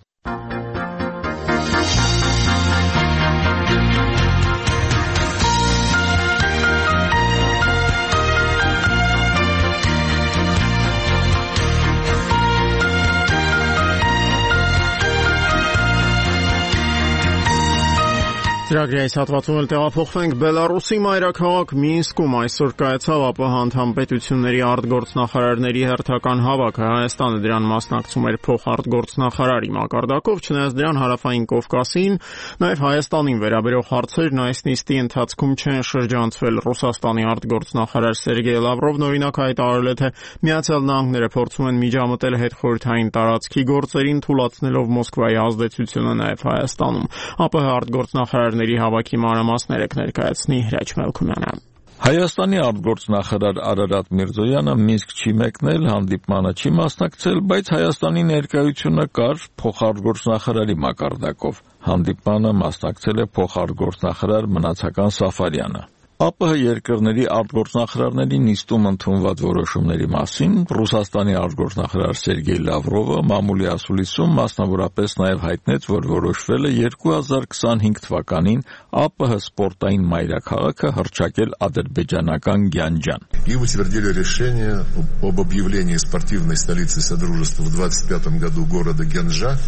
Ծրագրի այս հատվածում էլ տեղափոխվենք Բելարուսի մայրաքաղաք Մինսկում այսօր կայացավ ԱՊՀ անդամ պետությունների արտգործնախարարների հերթական հավաքը։ Հայաստանը դրան մասնակցում էր փոխարտգործնախարարի մակարդակով, չնայած դրան հարավային Կովկասին, նաև Հայաստանին վերաբերող հարցերն այս նիստի ընթացքում չեն շրջանցվել։ Ռուսաստանի արտգործնախարար Սերգեյ Լավրովն օրինակ հայտարարել է, թե Միացյալ Նահանգները փորձում են միջամտել հետխորհրդային տարածքի գործերին, թույլատնելով Մոսկվայի ազդեցությունը նաև Հայաստանում։ ԱՊՀ արտգործնախարարների հավաքի մանրամասները կներկայացնի Հրաչ Մելքումյանը։
Հայաստանի արտգործնախարար Արարատ Միրզոյանը Մինսկ չի մեկնել, հանդիպմանը չի մասնակցել, բայց Հայաստանի ներկայությունը կար փոխարտգործնախարարի մակարդակով։ Հանդիպմանը մասնակցել է փոխարտգործնախարար Մնացական Սաֆարյանը։ ԱՊՀ երկրների արտգործնախարարների նիստում ընդունված որոշումների մասին Ռուսաստանի արտգործնախարար Սերգեյ Լավրովը մամուլի ասուլիսում մասնավորապես նաև հայտնեց, որ որոշվել է 2025 թվականին ԱՊՀ սպորտային մայրաքաղաքը հռչակել ադրբեջանական Գյանջան։
И утвердили решение об объявлении спортивной столицей Содружества в 2025 году города Гянджа,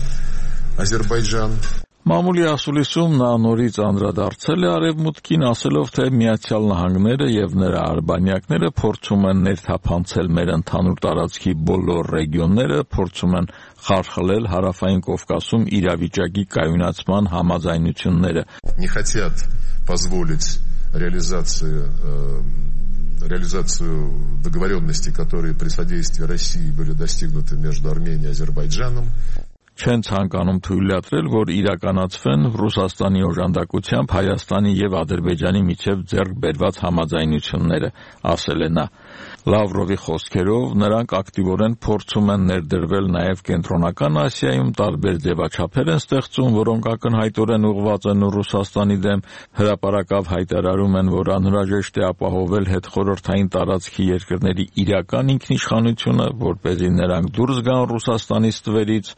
Азербайджан.
Մամուլի ասուլիսում նա նորից անդրադարձել է արևմուտքին, ասելով, թե Միացյալ Նահանգները եւ նրա արբանյակները փորձում են ներթափանցել մեր ընդհանուր տարածքի բոլոր ռեգիոնները, փորձում են խարխլել Հարավային Կովկասում իրավիճակի կայունացման համաձայնությունները։
Не хотят позволить реализацию договоренностей, которые при содействии России были достигнуты между Арменией и Азербайджаном.
Չեն ցանկանում թույլատրել, որ իրականացվեն Ռուսաստանի օժանդակությամբ Հայաստանի եւ Ադրբեջանի միջև ձեռք բերված համաձայնությունները, ասել է նա։ Լավրովի խոսքերով նրանք ակտիվորեն փորձում են ներդրվել նաև Կենտրոնական Ասիայում, տարբեր ձևաչափեր են ստեղծում, որոնք ակնհայտորեն ուղղված են Ռուսաստանի դեմ, հրապարակավ հայտարարում են, որ անհրաժեշտ է ապահովել հետխորհրդային տարածքի երկրների իրական ինքնիշխանությունը, որպեսզի նրանք դուրս գան Ռուսաստանի ստվերից,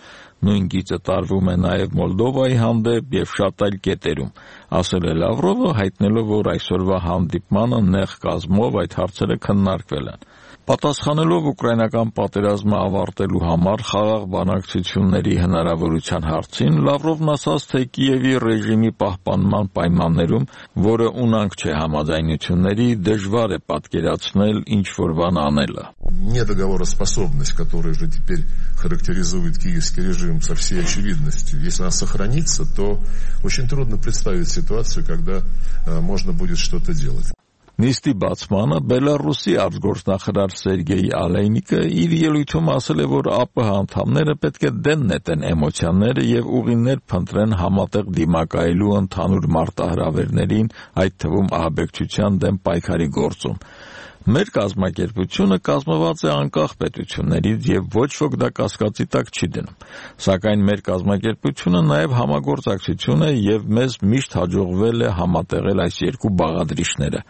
նույն գիծը տարվում է նաև Մոլդովայի հանդեպ եւ շատ այլ կետերում, ասել է Լավրովը, հայտնելով, որ այսօրվա հանդիպմանը նեղ կազմով այդ հարցերը քննարկվել են։ Պատասխանելով ուկրաինական պատերազմը ավարտելու համար խաղաղ բանակցությունների հնարավորության հարցին, Լավրովն ասաց, թե Կիևի ռեժիմի պահպանման պայմաններում, որը ունանք չէ համաձայնությունների, դժվար է պատկերացնել ինչ-որ բան անելը։
Недоговороспособность, которая уже теперь характеризует киевский режим со всей очевидностью, если она сохранится, то очень трудно представить ситуацию, когда можно будет что-то делать.
Նիստի բացմանը Բելարուսի արտգործնախարար Սերգեյ Ալեյնիկը իր ելույթում ասել է, որ ԱՊՀ անդամները պետք է դեն նետեն էմոցիաները եւ ուղիներ փնտրեն համատեղ դիմակայելու ընդհանուր մարտահրավերներին, այդ թվում ահաբեկչության դեմ պայքարի գործում։ Մեր կազմակերպությունը կազմված է անկախ պետություններից եւ ոչ ոք դա կասկածի տակ չի դնում։ Սակայն մեր կազմակերպությունը նաեւ համագործակցություն է եւ մեզ միշտ հաջողվել է համատեղել այս երկու բաղադրիչները,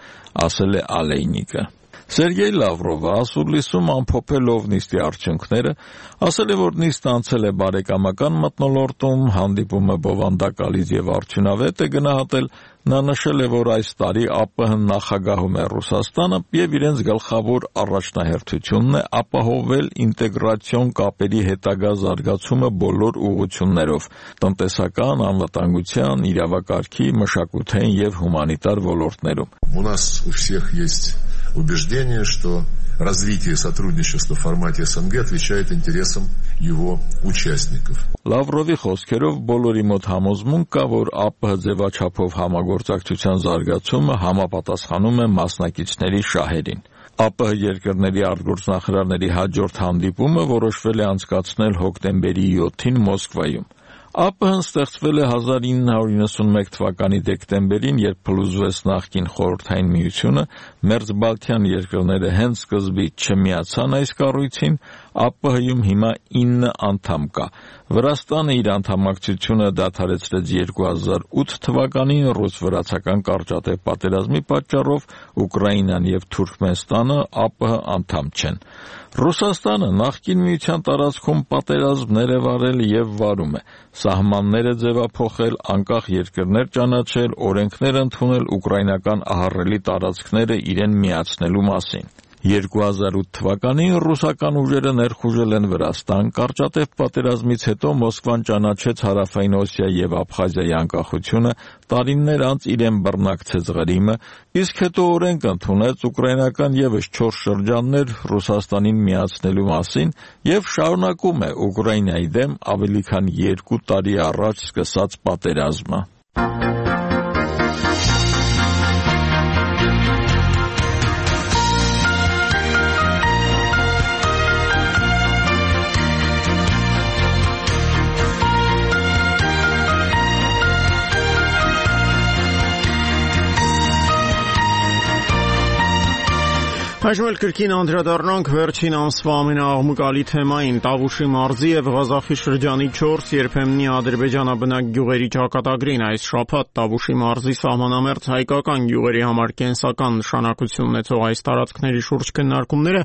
ասել է Ալեյնիկը։ Սերգեյ Լավրովը ասուլիսում ամփոփելով նիստի արդյունքները, ասել է, որ նիստը անցել է բարեկամական մթնոլորտում, հանդիպումը բովանդակալից եւ արդյունավետ է գնահատել, նա նշել է, որ այս տարի ԱՊՀ-ն նախագահում է Ռուսաստանը եւ իրենց գլխավոր առաջնահերթությունն է ապահովել ինտեգրացիոն կապերի հետագա զարգացումը բոլոր ուղղություններով՝ տնտեսական, անվտանգության, իրավակարգի, մշակութային եւ հումանիտար ոլորտներում։
У нас у всех есть убеждение, что развитие сотрудничества в формате СНГ отвечает интересам его участников.
Լավրովի խոսքերով բոլորի մոտ համոզմունք կա, որ ԱՊՀ ձևաչափով համագործակցության զարգացումը համապատասխանում է մասնակիցների շահերին։ ԱՊՀ երկրների արտգործնախարարների հաջորդ հանդիպումը որոշվել է անցկացնել հոկտեմբերի 7-ին Մոսկվայում։ ԱՊՀ-ն ստեղծվել է 1991 թվականի դեկտեմբերին, երբ փլուզվեց նախկին Խորհրդային Միությունը, մերձբալթյան երկրները հենց սկզբից չմիացան այս կառույցին, ԱՊՀ-ում հիմա 9 անդամ կա։ Վրաստանը իր անդամակցությունը դադարեցրեց 2008 թվականին ռուս-վրացական կարճատև պատերազմի պատճառով, Ուկրաինան եւ Թուրքմենստանը ԱՊՀ անդամ չեն։ Ռուսաստանը նախկին միության տարածքում պատերազմներ է վարել եւ վարում է, սահմաններ է ձևափոխել, անկախ երկրներ ճանաչել, օրենքներ ընդունել ուկրաինական ահռելի տարածքները իրեն միացնելու մասին։ 2008 թվականին ռուսական ուժերը ներխուժել են Վրաստան, կարճատև պատերազմից հետո Մոսկվան ճանաչեց Հարավային Օսիա եւ Աբխազիայի անկախությունը, տարիներ անց իրեն բռնակցեց Ղրիմը, իսկ հետո օրենք ընդունեց ուկրաինական եւս 4 շրջաններ Ռուսաստանին միացնելու մասին եւ շարունակում է Ուկրաինայի դեմ ավելի քան 2 տարի առաջ սկսած պատերազմը։
Այժմ էլ կրկին անդրադառնանք վերջին ամսվա ամենաաղմկալի թեմային՝ Տավուշի մարզի եւ Ղազախի շրջանի 4 երբեմնի ադրբեջանաբնակ գյուղերի ճակատագրին։ Այս շաբաթ Տավուշի մարզի սահմանամերձ հայկական գյուղերի համար կենսական նշանակություն ունեցող այս տարածքների շուրջ քննարկումները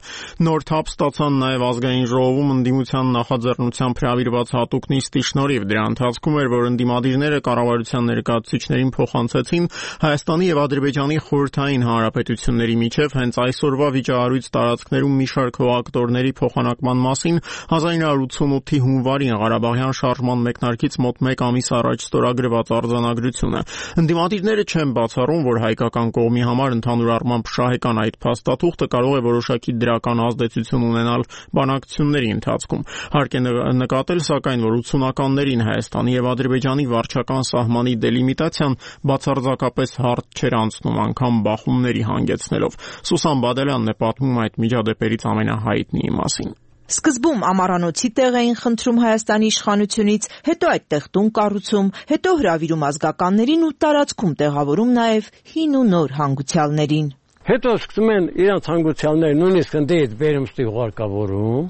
նոր թափ ստացան նաեւ ազգային ժողովում ընդդիմության նախաձեռնությամբ հրավիրված հատուկ նիստի շնորհիվ։ Դրա ընթացքում էր, որ ընդդիմադիրները կառավարության ներկայացուցիչներին փոխանցեցին Հայաստանի եւ Ադրբեջանի խորհրդային հանրապետությունների միջև հենց այսօրվա վիճահարույց տարածքներում մի շարք հողակտորների փոխանակման մասին 1988-ի հունվարին Ղարաբաղյան շարժման մեկնարկից մոտ 1 ամիս առաջ ստորագրված արձանագրությունը։ Ընդդիմադիրները չեն բացառում, որ հայկական կողմի համար ընդհանուր առմամբ շահեկան այդ փաստաթուղթը կարող է որոշակի դրական ազդեցություն ունենալ բանակցությունների ընթացքում։ Հարկ է նկատել, սակայն, որ 80-ականներին Հայաստանի եւ Ադրբեջանի վարչական սահմանի դելիմիտացիան բացարձակապես հարթ չէր անցնում, անգամ բախումների հանգեցնելով։ Սուսան Բադալյանն է պատմում այդ միջադեպերից ամենահայտնիի մասին։
Սկզբում ամառանոցի տեղ էին խնդրում Հայաստանի իշխանությունից, հետո այդտեղ տուն կառուցում, հետո հրավիրում ազգականներին ու տարածքում տեղավորում նաև հին ու նոր հանգուցյալներին։
Հետո սկսում են իրանց հանգուցյալները նույնիսկ ընդդեից վերումստի ուղարկավորում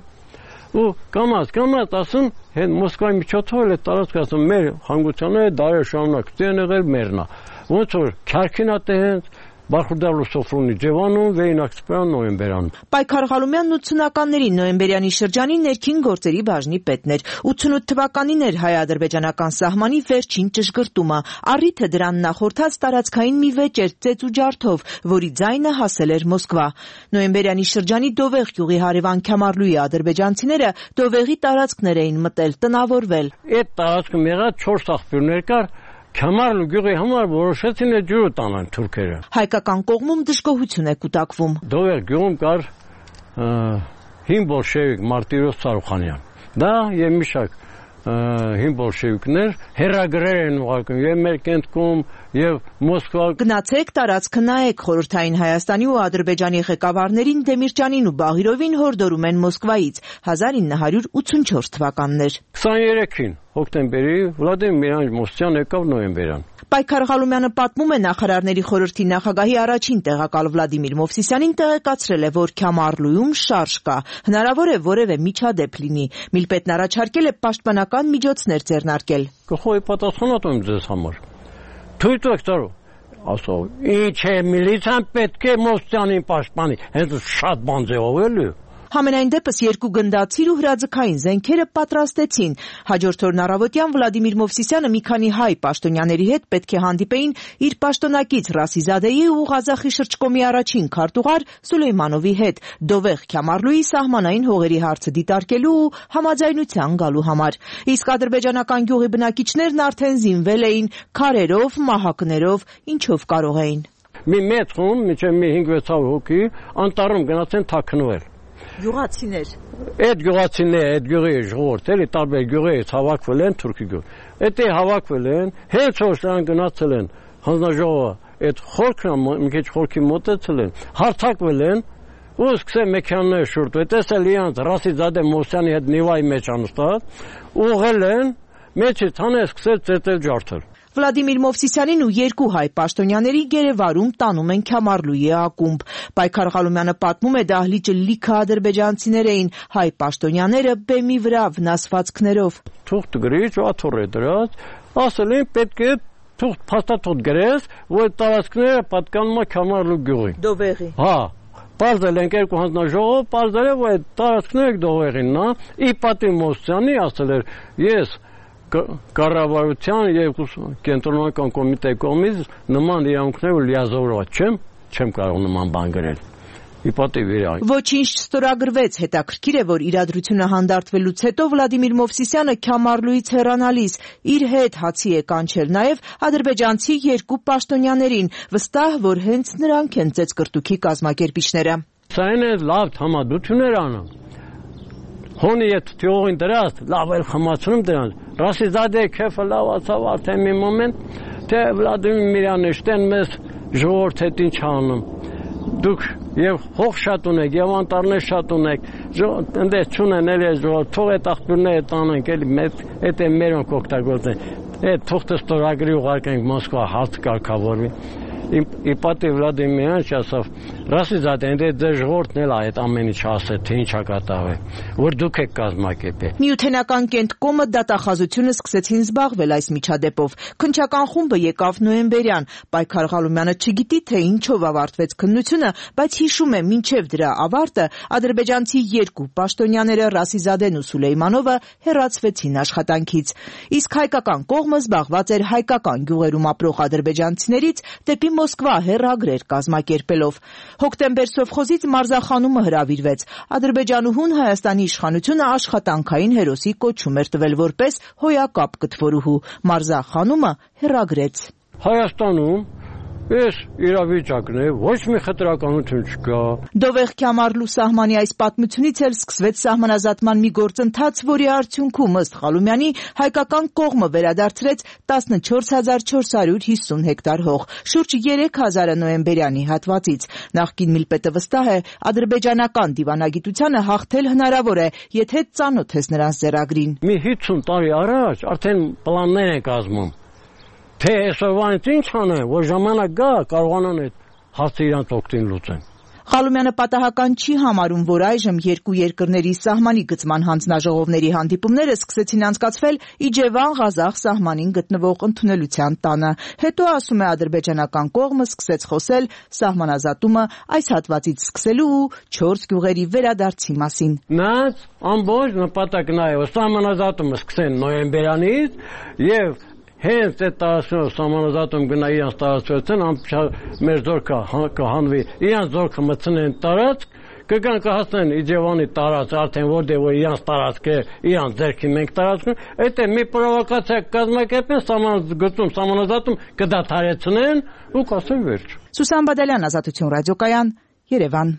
ու կամած ասում հեն Մոսկվայի միջոցով էլ տարածքը ասում մեր հանգուցյալները դարեր շարունակ դեն եղել մերնա։ Ոնց որ քարքինա տենց Բախուրդալու սոֆրունի ջևանում վերինակցպյան նոյեմբերան։
Պայքար Ղալումյանն 80-ականների նոյեմբերյանի շրջանի ներքին գործերի բաժնի պետն էր։ 88 թվականին էր հայ-ադրբեջանական սահմանի վերջին ճշգրտումը։ Առիթը դրան նախորդած տարածքային մի վեճ էր ծեծ ու ջարդով, որի ձայնը հասել էր Մոսկվա։ Նոյեմբերյանի շրջանի Դովեղ գյուղի հարևան Քյամարլուի ադրբեջանցիները Դովեղի տարածքներ էին մտել, տնավորվել։
Այդ տարածքում եղած 4 աղբյուրներ կար։ Քյամարլու գյուղի համար որոշեցին այդ ջուրը տանան թուրքերը։
Հայկական կողմում դժգոհություն է կուտակվում։
Դովեղ գյուղում կար հին բոլշևիկ Մարտիրոս Սարուխանյան։ Դա եւ մի շարք հին բոլշևիկներ հերագրեր են ուղարկում եւ մեր կենտկում եւ Մոսկվա։
Գնացեք տարածքը նայեք, խորհրդային Հայաստանի ու Ադրբեջանի ղեկավարներին Դեմիրճյանին ու Բաղիրովին հորդորում են Մոսկվայից 1984 թվականներ։
23-ին հոկտեմբերի Վլադիմիր Միրոնովիչ եկավ նոյեմբերյան։
Պայքար Ղալումյանը պատմում է նախարարների խորհրդի նախագահի առաջին տեղակալ Վլադիմիր Մովսիսյանին տեղեկացրել է, որ Քյամարլուում շարժ կա, հնարավոր է որևէ միջադեպ լինի։ Միլպետն առաջարկել է պաշտպանական միջոցներ ձեռնարկել։
Կխոյի պատասխանատու եմ ձեզ համար։ Թույլ տվեք ծառու։ Ասո, ինչ է միլիցիան պետք է Մովսիսյանին պաշտպանի։ Հենց շատ բան ձևով էլի։
Համենայն դեպս երկու գնդացիր ու հրաձգային զենքերը պատրաստեցին։ Հաջորդ օրն առավոտյան Վլադիմիր Մովսիսյանը մի քանի հայ պաշտոնյաների հետ պետք է հանդիպեին իր պաշտոնակից Ռասիզադեի ու Ղազախի շրջկոմի առաջին քարտուղար Սուլեյմանովի հետ Դովեղ Քյամարլուի սահմանային հողերի հարցը դիտարկելու ու համաձայնության գալու համար։ Իսկ ադրբեջանական գյուղի բնակիչներն արդեն զինվել էին քարերով, մահակներով, ինչով կարող էին։
Մի մեծ խումբ, մինչև մի 5-600 հոգի անտառում գնացեն թաքնվել։
Գյուղացիներ։
Այդ գյուղացիները, այդ գյուղի ժողովուրդ, էլի տարբեր գյուղերից հավաքվել են թուրքի գյուղ։ Այդ հավաքվել են, հենց որ նրանք գնացել են հանձնաժողովը, այդ խորքը մի քիչ խորքի մոտեցել են, հարթակվել են ու սկսել մեքենաները շուռտվել։ Տեսել իրանց Ռասիզադե Մովսյանի հետ Նիվայի մեջ անստած, ուղղել են, մեջից հանել սկսել ծեծել ջարդել։
Վլադիմիր Մովսիսյանին ու երկու հայ պաշտոնյաների գերեվարում տանում են Քյամարլուի ակումբ։ Պայքար Ղալումյանը պատմում է դահլիճը լիքը ադրբեջանցիներ էին, հայ պաշտոնյաները բեմի վրա վնասվածքներով։
Թուղթ գրիչ ու աթոռ է դրած, ասել են պետք է թուղթ փաստաթուղթ գրես, որ տարածքները պատկանում է Քյամարլու գյուղին։
Դովեղի։
Հա։ Պարզել են երկու հանձնաժողով, պարզել է, որ այդ տարածքները Դովեղին, նա ի պատիվ Մովսյանի ասել էր, ես կառավարության եւ կենտրոնական կոմիտեի կողմից նման իրավունքներ լիազորված չեմ կարող նման բան գրել։ Իպատիվ իրավունք։
Ոչինչ չստորագրվեց, հետաքրքիր է, որ իրադրությունը հանդարտվելուց հետո Վլադիմիր Մովսիսյանը Քյամարլուից հեռանալիս իր հետ հացի է կանչել նաեւ ադրբեջանցի երկու պաշտոնյաներին, վստահ, որ հենց նրանք են ծեծկրտուքի կազմակերպիչները։
Սա այն է լավ համադություններ անում։ Հոնի այդ թիողին դրած, լավ էլ խմացնում դրանց։ Ռասիզադե քեֆը լավացավ արդեն մի մոմենտ, թե Վլադիմիր Միրոնովիչն մեզ ժողովուրդ հետ ինչ անում։ Դուք եւ հող շատ ունեք, եւ անտառներ շատ ունեք, ընդես չունեն էլ ժողովուրդ, թող այդ աղբյուրները տանենք, էլի այդ է մերոնք օգտագործեն։ Այդ թուղթը ստորագրի ուղարկենք Մոսկվա հարց կարգավորվի։ Իպատի Վլադիմիրյան ասավ, ռասիզադե ընդ դե ժողովուրդն էլ այդ ամեն ինչ ասել, թե ինչա կատարվել, որ դուք եք կազմակերպել։
Միութենական Կենտկոմը դատախազությունը սկսեցին զբաղվել այս միջադեպով։ Քննչական խումբը եկավ նոյեմբերյան։ Պայքար Ղալումյանը չգիտի, թե ինչով ավարտվեց քննությունը, բայց հիշում է, մինչև դրա ավարտը ադրբեջանցի երկու պաշտոնյաները Ռասիզադեն ու Սուլեյմանովը հեռացվեցին աշխատանքից։ Իսկ հայկական կողմը զբաղված էր հայկական գյուղերում ապրող ադրբեջանցիներից դեպի Մոսկվա հեռագրեր կազմակերպելով։ Հոկտեմբեր սովխոզից մարզախանումը հրավիրվեց։ Ադրբեջանուհուն Հայաստանի իշխանությունը աշխատանքային հերոսի կոչում էր տվել որպես հոյակապ կտվորուհու։ Մարզախանումը հեռագրեց։
Հայաստանում Ես իրավիճակն է, ոչ մի խտրականություն չկա։
Դովեղ Քյամարլու սահմանի այս պատմությունից էլ սկսվեց սահմանազատման մի գործընթաց, որի արդյունքում ըստ Ղալումյանի հայկական կողմը վերադարձրեց 14450 հեկտար հող, շուրջ 3000-ը նոյեմբերյանի հատվածից։ Նախկին միլպետը վստահ է, ադրբեջանական դիվանագիտությանը հաղթել հնարավոր է, եթե ծանոթ ես նրանց ձեռագրին։
Մի 50 տարի առաջ արդեն պլաններ են կազմում։ Թե այսօրվանից ինչ անեն, որ ժամանակ գա, կարողանան այդ հարցը իրանց օգտին լուծեն։
Ղալումյանը պատահական չի համարում, որ այժմ երկու երկրների սահմանի գծման հանձնաժողովների հանդիպումները սկսեցին անցկացվել Իջևան-Ղազախ սահմանին գտնվող ընդունելության տանը։ Հետո, ասում է, ադրբեջանական կողմը սկսեց խոսել սահմանազատումը այս հատվածից սկսելու ու 4 գյուղերի վերադարձի մասին։
Նրանց ամբողջ նպատակն է, որ սահմանազատումը սկսեն նոյեմբերյանից եւ հենց այդ տարածքով սահմանազատում գնա իրանց տարածքն մեր զորքը կհանվի, իրանց զորքը մտցնեն տարածք, կգան կհասնեն Իջևանի տարածք, արդեն որտեղ որ իրանց տարածք է, իրանց ձեռքի մենք տարածքում, այդ է մի պրովոկացիա կազմակերպեն, սահմանազատում կդադարեցնեն ու կասեն վերջ։
Սուսան Բադալյան, Ազատություն ռադիոկայան, Երևան։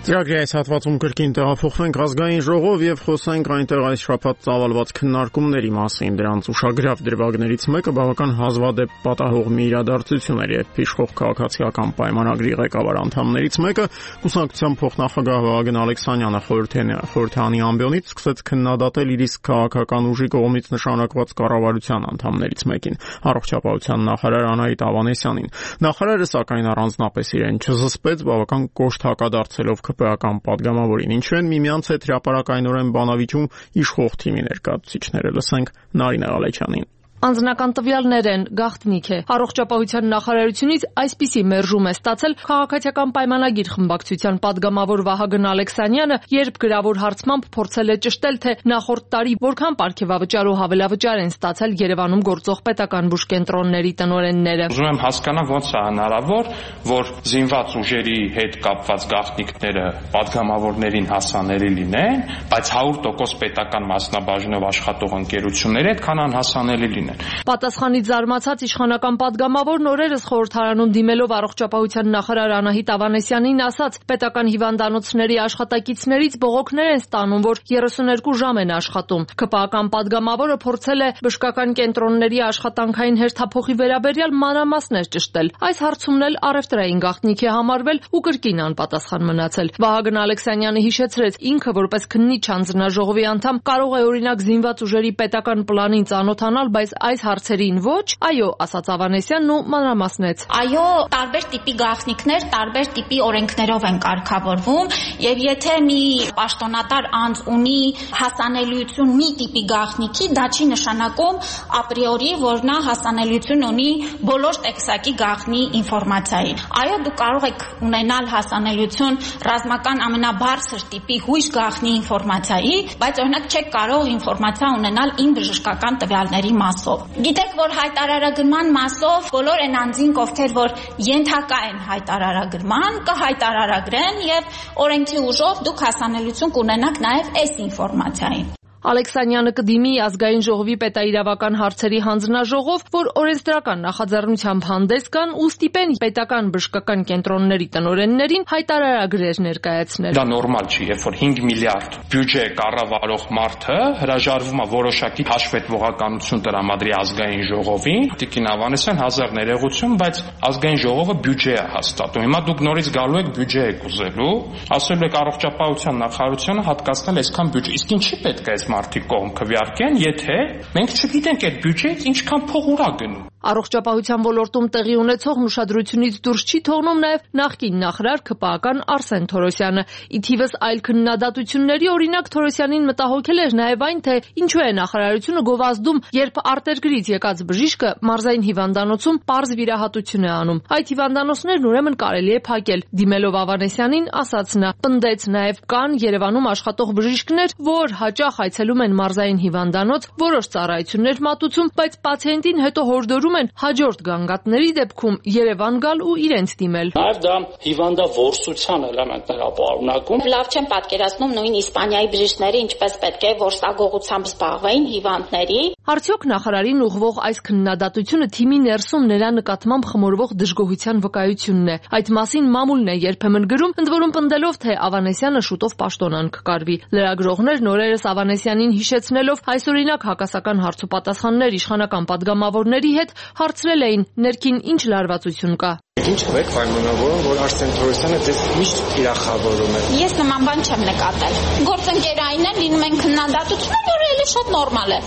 Ծրագրի այս հատվածում կրկին տեղափոխվենք ազգային ժողով եւ խոսենք այնտեղ այս շաբաթ ծավալված քննարկումների մասին։ Դրանց ուշագրավ դրվագներից մեկը բավական հազվադեպ պատահող մի իրադարձություն էր, երբ իշխող քաղաքացիական պայմանագրի ղեկավար անդամներից մեկը կուսակցության փոխնախագահ Վահագն Ալեքսանյանը խորհրդանի ամբիոնից սկսեց քննադատել իր իսկ քաղաքական ուժի կողմից նշանակված կառավարության անդամներից մեկին, առողջապահության նախարար Անահիտ Ավանեսյանին։ Նախարարը սակայն առանձնապես իրեն չզսպեց, բավական կոշտ հակադարձելով ԿՊ-ական падգամավորին, ինչու են միմյանց հետ հրապարակայնորեն բանավիճում իշխող թիմի ներկայացուցիչները։ Լսենք Նարինե Ղալեչյանին։
Անձնական տվյալներ են, գաղտնիք է։ Առողջապահության նախարարությունից այսպիսի մերժում է ստացել քաղաքացիական պայմանագիր խմբակցության падգամավոր Վահագն Ալեքսանյանը, երբ գրավոր հարցմամբ փորձել է ճշտել, թե նախորդ տարի որքան պարգևավճար ու հավելավճար են ստացել Երևանում գործող պետական բուժկենտրոնների տնօրենները։
Ուզում եմ հասկանալ ոնց է հնարավոր, որ զինված ուժերի հետ կապված գաղտնիքները падգամավորներին հասանելի լինեն, բայց 100% պետական մասնաբաժնով աշխատող ընկերությունների այդքան անհասանելի լինեն։
Պատասխանից զարմացած իշխանական падգամավորն օրերս խորհրդարանում դիմելով առողջապահության նախարար Անահիտ Ավանեսյանին ասաց, պետական հիվանդանոցների աշխատակիցներից բողոքներ են ստանում, որ 32 ժամ են աշխատում։ ԿՊ-ական падգամավորը փորձել է բժշկական կենտրոնների աշխատանքային հերթափոխի վերաբերյալ մանրամասներ ճշտել։ Այս հարցումն էլ առևտրային գաղտնիք է համարվել ու կրկին անպատասխան մնացել։ Վահագն Ալեքսանյանը հիշեցրեց, ինքը որպես քննիչ հանձնաժողովի անդամ կարող է օրինակ զինված ուժերի պետական պլանին ծանոթանալ, բայց այս հարցերին ոչ, այո, ասաց Ավանեսյանն ու մանրամասնեց։
Այո, տարբեր տիպի գաղտնիքներ տարբեր տիպի օրենքներով են կարգավորվում, եւ եթե մի պաշտոնատար անձ ունի հասանելիություն մի տիպի գաղտնիքի, դա չի նշանակում ապրիորի, որ նա հասանելիություն ունի բոլոր տեքստակի գաղտնի ինֆորմացիային։ Այո, դուք կարող եք ունենալ հասանելիություն ռազմական ամենաբարձր տիպի հույժ գաղտնի ինֆորմացիայի, բայց օրինակ չեք կարող ինֆորմացիա ունենալ ին բժշկական տվյալների մասով։ Գիտեք, որ հայտարարագրման մասով բոլոր այն անձինք, ովքեր որ ենթակա են հայտարարագրման, կհայտարարագրեն եւ օրենքի ուժով դուք հասանելիություն կունենաք նաեւ այս ինֆորմացիային։
Ալեքսանյանը կդիմի ազգային ժողովի պետաիրավական հարցերի հանձնաժողով, որ օրենսդրական նախաձեռնությամբ հանդես գան ու ստիպեն պետական բժշկական կենտրոնների տնօրեններին հայտարարագրեր ներկայացնել։
Դա նորմալ չի, երբ որ 5 միլիարդ բյուջե կառավարող մարդը հրաժարվում է որոշակի հաշվետվողականություն տրամադրի ազգային ժողովին, Տիկին Ավանեսյան հազար ներողություն, բայց ազգային ժողովը բյուջե է հաստատում։ Հիմա դուք նորից գալու եք բյուջե եք ուզելու, ասելու եք առողջապահության նախարարությունը հատկացնել այսքան բյուջե։ Իսկ ինչի պետք է այս մարդիկ կողմ քվեարկեն, եթե մենք չգիտենք այդ բյուջեից ինչքան փող ուրա գնում։
Առողջապահության ոլորտում տեղի ունեցող ուշադրությունից դուրս չի թողնում նաև նախկին նախարար ՔՊԱ-ական Արսեն Թորոսյանը։ Ի թիվս այլ քննադատությունների, օրինակ Թորոսյանին մտահոգել էր նաև այն, թե ինչու է նախարարությունը գովազդում, երբ արտերկրից եկած բժիշկը մարզային հիվանդանոցում պարզ վիրահատություն է անում։ Այդ հիվանդանոցներն ուրեմն կարելի է փակել։ Դիմելով Ավանեսյանին, ասաց նա, պնդեց նաև կան Երևանում աշխատող բժիշկներ, որ հաճախ այցելում են մարզային հիվանդանոց, որոշ ծառայություններ մատուցում, բայց պացիենտին հետո հորդորում են հաջորդ գանգատների դեպքում Երևան գալ ու իրենց դիմել։
Նաև դա հիվանդավորսության էլեմենտներ ապարունակում։
Լավ չեմ պատկերացնում նույն Իսպանիայի բժիշկները ինչպես պետք է որսագողությամբ զբաղվեին հիվանդների։
Արդյոք նախարարին ուղղվող այս քննադատությունը թիմի ներսում նրա նկատմամբ խմորվող դժգոհության վկայությունն է։ Այդ մասին մամուլն է երբեմն գրում, ընդ որում պնդելով, թե Ավանեսյանը շուտով պաշտոնան կկարվի։ Լրագրողներն օրերս Ավանեսյանին հիշեցնելով այսօրինակ հակասական հարցուպատասխաններ իշխանական պատգամավորների հետ հարցրել էին ներքին ինչ լարվածություն կա։
Ինչ եք պայմանավորում, որ Արսեն Թորոսյանը ձեզ միշտ թիրախավորում է։
Ես նման բան չեմ նկատել։ Գործընկերային են լինում են քննադատություններ, որը էլի շատ նորմալ է։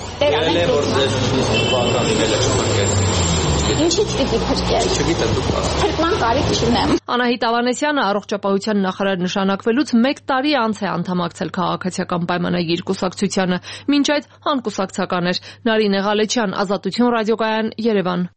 Ինչից պիտի փրկել։
Չգիտեմ դուք։
Փրկման կարիք չունեմ։
Անահիտ Ավանեսյանը առողջապահության նախարար նշանակվելուց 1 տարի անց է անդամակցել քաղաքացիական պայմանագիր կուսակցությանը, մինչ այդ անկուսակցական էր։ Նարինե Ղալեչյան, Ազատություն ռադիոկայան, Երևան։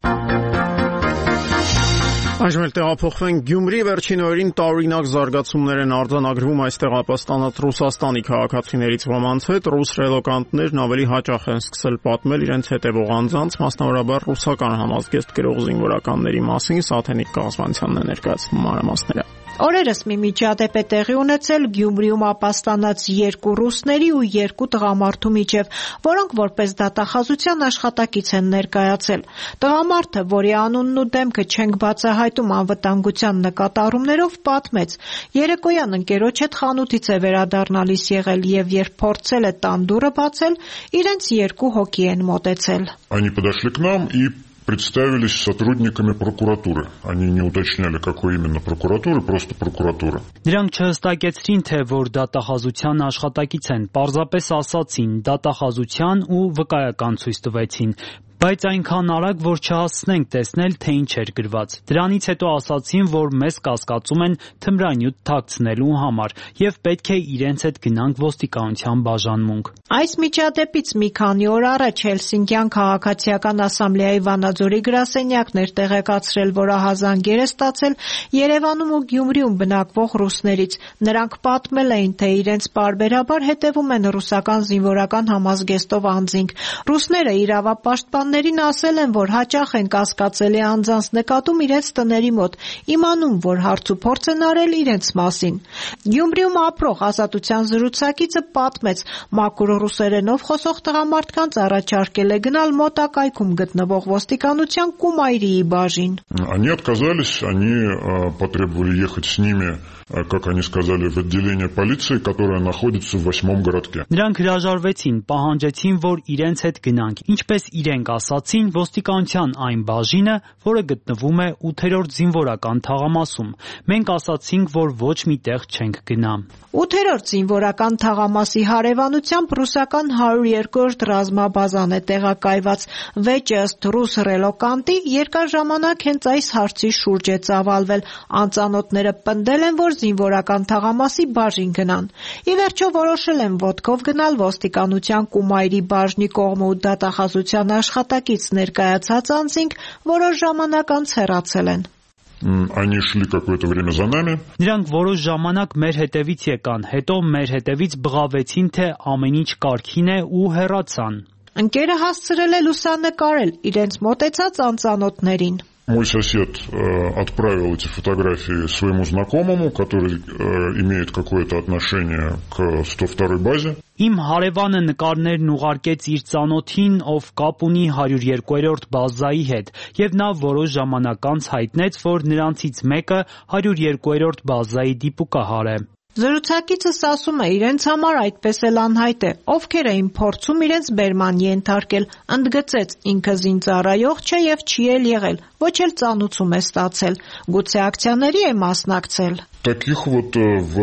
Այժմ էլ տեղափոխվենք Գյումրի, վերջին օրերին տարօրինակ զարգացումներ են արձանագրվում այստեղ ապաստանած Ռուսաստանի քաղաքացիներից ոմանց հետ։ Ռուս ռելոկանտներն ավելի հաճախ են սկսել պատմել իրենց հետևող անձանց, մասնավորաբար ռուսական համազգեստ գրող զինվորականների մասին։ Սաթենիկ Կազմանցյանն է ներկայացնում մանրամասները։
Օրերս մի միջադեպ է տեղի ունեցել Գյումրիում ապաստանած 2 ռուսների ու 2 տղամարդու միջև, որոնք որպես դատախազության աշխատակից են ներկայացել։ Տղամարդը, որի անունն ու դեմքը չենք բացահայտում անվտանգության նկատառումներով, պատմեց. երեկոյան ընկերոջ հետ խանութից է վերադառնալիս եղել եւ երբ փորձել է տան դուռը բացել, իրենց 2 հոգի են մոտեցել։
Они подошли к нам и представились сотрудниками прокуратуры. Они не уточняли, какой именно прокуратуры, просто прокуратуры.
Նրանք չհստակեցրին, թե որ դատախազության աշխատակից են, պարզապես ասացին դատախազության ու վկայական ցույց տվեցին, բայց այնքան արագ, որ չհասցնենք տեսնել, թե ինչ էր գրված։ Դրանից հետո ասացին, որ մեզ կասկածում են թմրանյութ թաքցնելու համար եւ պետք է իրենց հետ գնանք ոստիկանության բաժանմունք։
Այս միջադեպից մի քանի օր առաջ Հելսինկյան քաղաքացիական ասամբլեայի Վանաձորի գրասենյակն էր տեղեկացրել, որ ահազանգեր է ստացել Երևանում ու Գյումրիում բնակվող ռուսներից։ Նրանք պատմել էին, թե իրենց պարբերաբար հետևում են ռուսական զինվորական համազգեստով անձինք։ Ռուսները իրավապաշտպաններին ասել են, որ հաճախ են կասկածելի անձանց նկատում իրենց տների մոտ, իմանում, որ հարցուփորձ են արել իրենց մասին։ Գյումրիում ապրող Ազատության զրուցակիցը պատմեց, մաքուր ռուսերենով խոսող տղամարդկանց առաջարկել է գնալ մոտակայքում գտնվող ոստիկանության Կումայրիի բաժին։
Они отказались, они потребовали ехать с ними, как они сказали, в отделение полиции, которое находится в 8-м городке.
Նրանք հրաժարվեցին, պահանջեցին, որ իրենց հետ գնանք։ Ինչպես իրենք ասացին, ոստիկանության այն բաժինը, որը գտնվում է 8-րդ զինվորական թաղամասում։ Մենք ասացինք, որ ոչ մի տեղ չենք գնա։
8-րդ զինվորական թաղամասի հարևանությամբ ռուսական 102-րդ ռազմաբազան է տեղակայված։ Վեճը ըստ ռուս ռելոկանտի երկար ժամանակ հենց այս հարցի շուրջ է ծավալվել։ Անծանոթները պնդել են, որ զինվորական թաղամասի բաժին գնան։ Ի վերջո որոշել են ոտքով գնալ ոստիկանության Կումայրի բաժնի կողմը ու դատախազության աշխատակից ներկայացած անձինք որոշ ժամանակ անց հեռացել են։
Они шли какое-то время за нами.
Նրանք որոշ ժամանակ մեր հետևից եկան, հետո մեր հետևից բղավեցին, թե ամեն ինչ կարգին է ու հեռացան։
Ընկերը հասցրել է լուսանկարել իրենց մոտեցած անծանոթներին։
Мой сосед отправил эти фотографии своему знакомому, который имеет какое-то отношение к 102-й базе.
Իմ հարևանը նկարներն ուղարկեց իր ծանոթին, ով կապ ունի 102-րդ բազայի հետ, եւ նա որոշ ժամանակ անց հայտնեց, որ նրանցից մեկը 102-րդ բազայի դիպուկահար է։
Զրուցակիցս ասում է, իրենց համար այդպես էլ անհայտ է, ովքեր էին փորձում իրենց բերման ենթարկել, ընդգծեց, ինքը զինծառայող չէ եւ չի էլ եղել, ոչ էլ ծանուցում է ստացել, գուցե ակցիաների է մասնակցել։
Таких вот в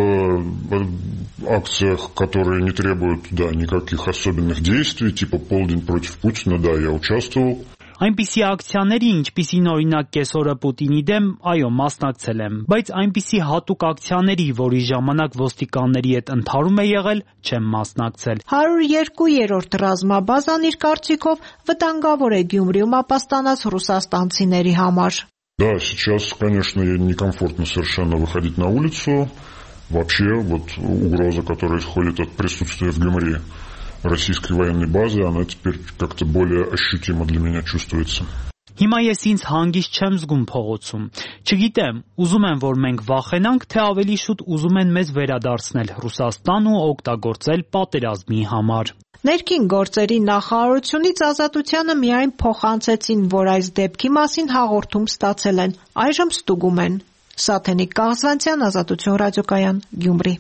акциях, которые не требуют, никаких особенных действий, типа полдень против Путина, я участвовал.
Այնպիսի ակցիաների, ինչպիսին օրինակ կեսօրը Պուտինի դեմ, այո, մասնակցել եմ, բայց այնպիսի հատուկ ակցիաների, որի ժամանակ ոստիկանների հետ ընդհարում է եղել, չեմ մասնակցել։
102-րդ ռազմաբազան իր կարծիքով վտանգավոր է Գյումրիում ապաստանած ռուսաստանցիների համար։
Да, сейчас, конечно, некомфортно совершенно выходить на улицу. Вообще, угроза, которая исходит от присутствия в Гюмри российской военной базы, она теперь как-то более ощутимо для меня чувствуется.
Հիմա ես ինձ հանգիստ չեմ զգում փողոցում։ Չգիտեմ, ուզում եմ, որ մենք վախենանք, թե ավելի շուտ ուզում են մեզ վերադարձնել Ռուսաստան ու օգտագործել պատերազմի համար։
Ներքին գործերի նախարարությունից Ազատությանը միայն փոխանցեցին, որ այս դեպքի մասին հաղորդում ստացել են, այժմ ստուգում են։ Սաթենիկ Կաղզվանցյան, Ազատություն ռադիոկայան, Գյումրի։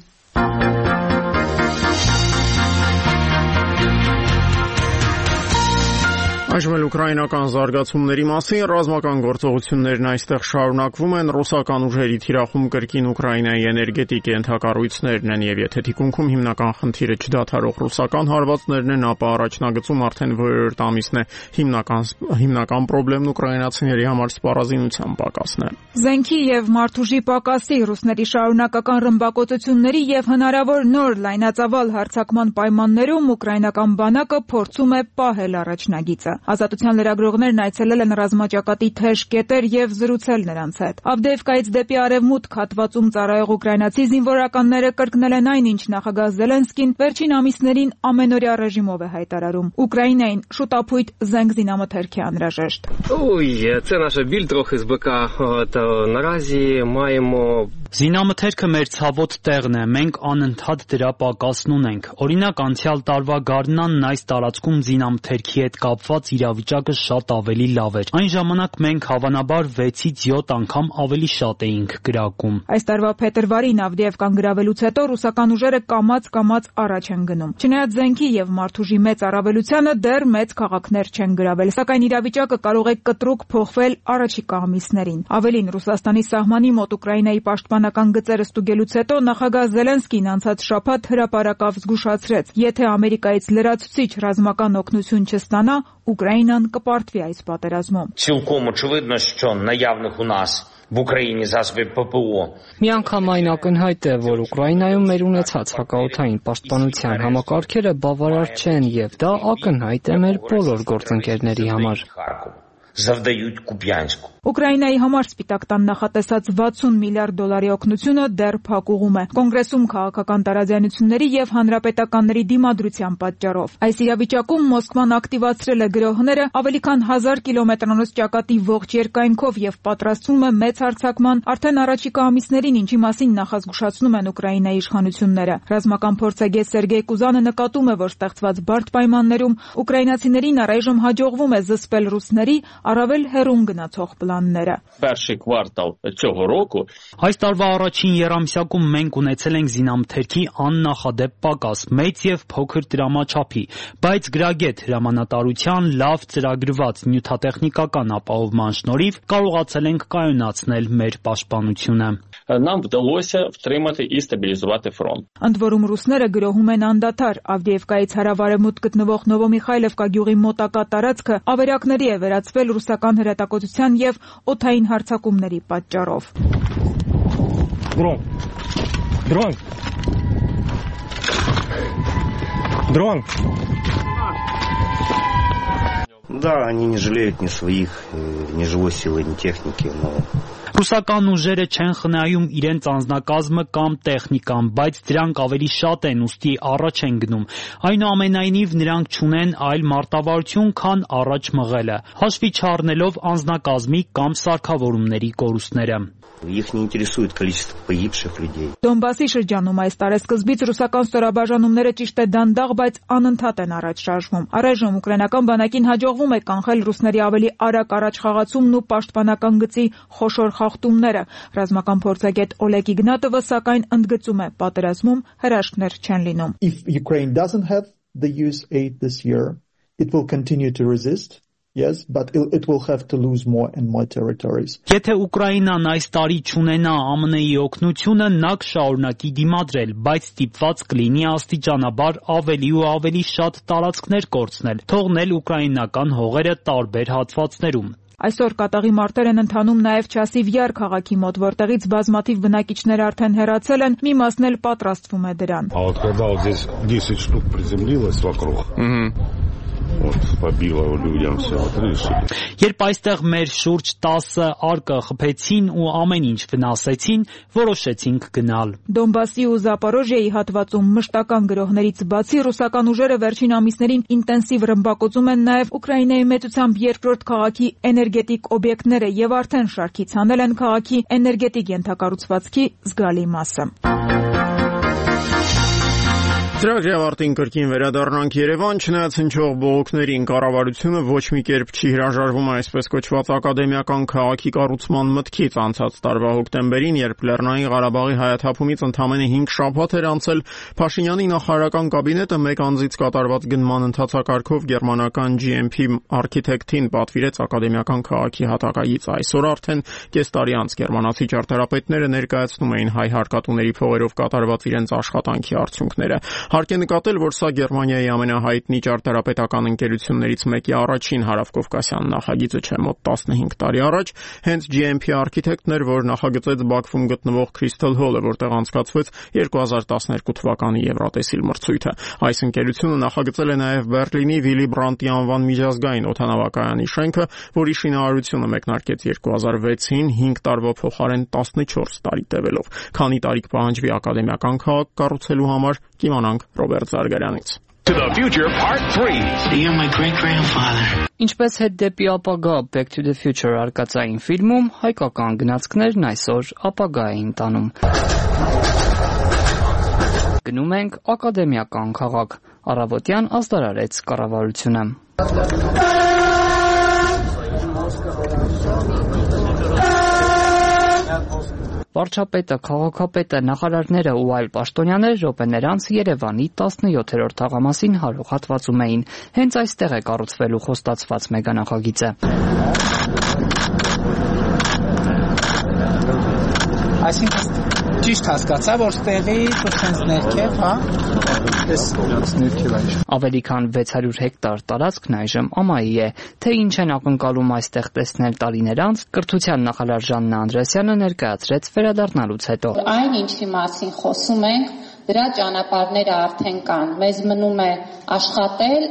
Այժմ էլ ուկրաինական զարգացումների մասին ռազմական գործողություններն այստեղ շարունակվում են, ռուսական ուժերի թիրախում կրկին Ուկրաինայի էներգետիկ ենթակառույցներն են եւ եթե թիկունքում հիմնական խնդիրը չդադարող ռուսական հարվածներն են, ապա առաջնագծում արդեն որերորդ ամիսն է հիմնական խնդիրն ուկրաինացիների համար սպառազինության պակասն է։
Զենքի եւ մարդուժի պակասի, ռուսների շարունակական ռմբակոծությունների եւ հնարավոր նոր լայնածավալ հարձակման պայմաններում ուկրաինական բանակը փորձում է պահել առաջնագիծը։ Ազատության լրագրողներն այցելել են ռազմաճակատի թեժ կետեր եւ զրուցել նրանց հետ։ Ավդեևկայից դեպի արևմուտք հատվածում ծառայող ուկրաինացի զինվորականները կրկնել են այն, ինչ նախագահ Զելենսկին վերջին ամիսներին ամենօրյա ռեժիմով է հայտարարում։ Ուկրաինային շուտապույտ զենք զինամթերքի անհրաժեշտ։
Це наша біль трохи з БК. Наразі маємо
Զինամթերքը մեր ցավոտ տեղն է, մենք անընդհատ դրա պակասն ունենք։ Օրինակ, անցյալ տարվա գարնանն այս տարածքում զինամթերքի հետ կապված իրավիճակը շատ ավելի լավ էր։ Այն ժամանակ մենք հավանաբար 6-ից 7 անգամ ավելի շատ էինք գրակում։
Այս տարվա փետրվարին Ավդեևկան գրավելուց հետո ռուսական ուժերը կամաց առաջ են գնում։ Չնայած զենքի եւ մարդուժի մեծ առավելությանը դեռ մեծ քաղաքներ չեն գրավել, սակայն իրավիճակը կարող է կտրուկ փոխվել առաջիկա ամիսներին։ Ավելին, Ռուսաստանի սահմանի մոտ Ուկրաինայի պաշտպանական գծերը ստուգելուց հետո նախագահ Զելենսկին անցած շաբաթ հրապարակավ զգուշացրեց. եթե Ամերիկայից լրացուցիչ ռազմական օգնություն չստանա, Ուկրաինան կպարտվի այս պատերազմում։
Цілком очевидно, що наявних у нас в Україні засобів ППО
Միանգամայն ակնհայտ է, որ Ուկրաինայում մեր ունեցած հակաօդային պաշտպանության համակարգերը բավարար չեն եւ դա ակնհայտ է մեր բոլոր գործընկերների համար։
завдають Куп'янську.
Ուկրաինայի համար Սպիտակ տան նախատեսած 60 միլիարդ դոլարի օգնությունը դեռ փակուղում է։ Կոնգրեսում քաղաքական տարաձայնությունների եւ հանրապետականների դիմադրության պատճառով։ Այս իրավիճակում Մոսկվան ակտիվացրել է գրոհները ավելի քան 1000 կիլոմետրանոց ճակատի ողջ երկայնքով եւ պատրաստվում է մեծ հարձակման արդեն առաջիկա ամիսներին, ինչի մասին նախազգուշացնում են Ուկրաինայի իշխանությունները։ Ռազմական փորձագետ Սերգեյ Կուզանը նկատում է, որ ստեղծված բարդ պայմաններում ուկրաինացիներին առայժմ հաջողվում է զսպել ռուսների առավել հեռուն գնացող պլանները։
Перший квартал цього року
Այս տարվա առաջին եռամսյակում մենք ունեցել ենք զինամթերքի աննախադեպ պակաս, մեծ եւ փոքր դրամաչափի, բայց գրագետ հրամանատարության լավ ծրագրված նյութատեխնիկական ապահովման շնորհիվ կարողացել ենք կայունացնել մեր պաշտպանությունը։
Нам вдалося втримати і стабілізувати фронт.
Ընդ որում ռուսները գրոհում են անդադար Ավդեևկայից հարավարևմուտք գտնվող Նովոմիխայլովկա գյուղի մոտակա տարածքը ավերակների է վերածվել ռուսական հրետակոծության եւ օդային հարձակումների պատճառով։
Да, они не жалеют ни своих, ни живой силы, ни техники, но...
Ռուսական ուժերը չեն խնայում իրենց անձնակազմը կամ տեխնիկան, բայց դրանք ավելի շատ են, ուստի առաջ են գնում։ Այնուամենայնիվ նրանք չունեն այլ մարտավարություն, քան առաջ մղելը, հաշվի չառնելով անձնակազմի կամ սարքավորումների կորուստները։
Их не интересует количество погибших людей.
Դոնբասի շրջանում այս տարեսկզբից ռուսական ստորաբաժանումները ճիշտ է դանդաղ, բայց անընդհատ են առաջ շարժվում։ Առայժմ ուկրաինական բանակին հաջողվում է կանխել ռուսների ավելի արագ առաջխաղացումն ու պաշտպանական գծի խոշոր խախտումները։ Ռազմական փորձագետ Օլեգ Իգնատովը սակայն ընդգծում է, պատերազմում հրաշքներ չեն լինում։
If Ukraine doesn't have the US aid this year, it will continue to resist. Yes, but it will have to lose more and more territories.
Եթե Ուկրաինան այս տարի չունենա ԱՄՆ-ի օգնությունը, նա կշարունակի դիմադրել, բայց ստիպված կլինի աստիճանաբար ավելի ու ավելի շատ տարածքներ կորցնել, թողնել ուկրաինական հողերը տարբեր հատվածներում։
Այսօր կատաղի մարտեր են ընթանում նաև Չասիվ Յար քաղաքի մոտ, որտեղից բազմաթիվ բնակիչներ արդեն հեռացել են, մի մասն էլ պատրաստվում է դրան։
А вот когда вот здесь 10 штук приземлилось вокруг. Вот побило людям все крыши.
Երբ այստեղ մեր շուրջ 10 արկը խփեցին ու ամեն ինչ վնասեցին, որոշեցինք գնալ։
Դոնբասի ու Զապորոժիայի հատվածում մշտական գրոհներից բացի ռուսական ուժերը վերջին ամիսներին ինտենսիվ ռմբակոծում են նաև Ուկրաինայի մեծությամբ երկրորդ քաղաքի էներգետիկ օբյեկտները եւ արդեն շարքից հանել են քաղաքի էներգետիկ ենթակառուցվածքի զգալի մասը։
Ծրագրի ավարտին կրկին վերադառնանք Երևան, չնայած հնչող բողոքներին կառավարությունը ոչ մի կերպ չի հրաժարվում այսպես կոչված ակադեմիական քաղաքի կառուցման մտքից անցած տարվա հոկտեմբերին, երբ Լեռնային Ղարաբաղի հայաթափումից ընդամենը 5 շաբաթ էր անցել, Փաշինյանի նախարարական կաբինետը մեկ անձից կատարված գնման ընթացակարգով գերմանական GMP արքիտեկտին պատվիրեց ակադեմիական քաղաքի հատակագիծ։ Այսօր արդեն կես տարի անց գերմանացի ճարտարապետները ներկայացնում էին հայ հարկատուների փողերով կատարված իրենց աշխատանքի արդյունքները։ Հարկ է նկատել, որ սա Գերմանիայի ամենահայտնի ճարտարապետական ընկերություններից մեկի առաջին հարավկովկասյան նախագիծը չէ, մոտ 15 տարի առաջ հենց GMP արքիտեկտն էր, որ նախագծեց Բաքվում գտնվող Crystal Hall-ը, որտեղ անցկացվեց 2012 թվականի Եվրատեսիլ մրցույթը։ Այս ընկերությունը նախագծել է նաև Բերլինի Վիլի Բրանտի անվան միջազգային օդանավակայանի շենքը, որի շինարարությունը մեկնարկեց 2006-ին 5 տարվա փոխարեն 14 տարի տևելով։ Քանի տարի կպահանջվի ակադեմիական քաղաք կառուցելու համար, կիմանանք Ռոբերտ Զարգարյանից։
To the future part 3.
You're my great-grandfather.
Ինչպես հետ դեպի ապագա Back to the Future արկածային ֆիլմում, հայկական գնացքներն այսօր ապագա էին տանում։ Գնում ենք ակադեմիական քաղաք։ Առավոտյան ազդարարեց կառավարությունը։ Վարչապետը, քաղաքապետը, նախարարները ու այլ պաշտոնյաներ րոպեներ անց Երևանի 17-րդ թաղամասին հարող հատվածում էին։ Հենց այստեղ է կառուցվելու խոստացված մեգանախագիծը։
Այսինքն ճիշտ հասկացա, որ ստեղի ցույց ներքև, հա։
Ավելի քան 600 հեկտար տարածքն այժմ ամայի է, թե ինչ են ակնկալում այստեղ տեսնել տարիներ անց, կրթության նախարար Ժաննա Անդրեասյանը ներկայացրեց վերադառնալուց հետո։
Այն ինչի մասին խոսում ենք, դրա ճանապարհները արդեն կան։ Մեզ մնում է աշխատել,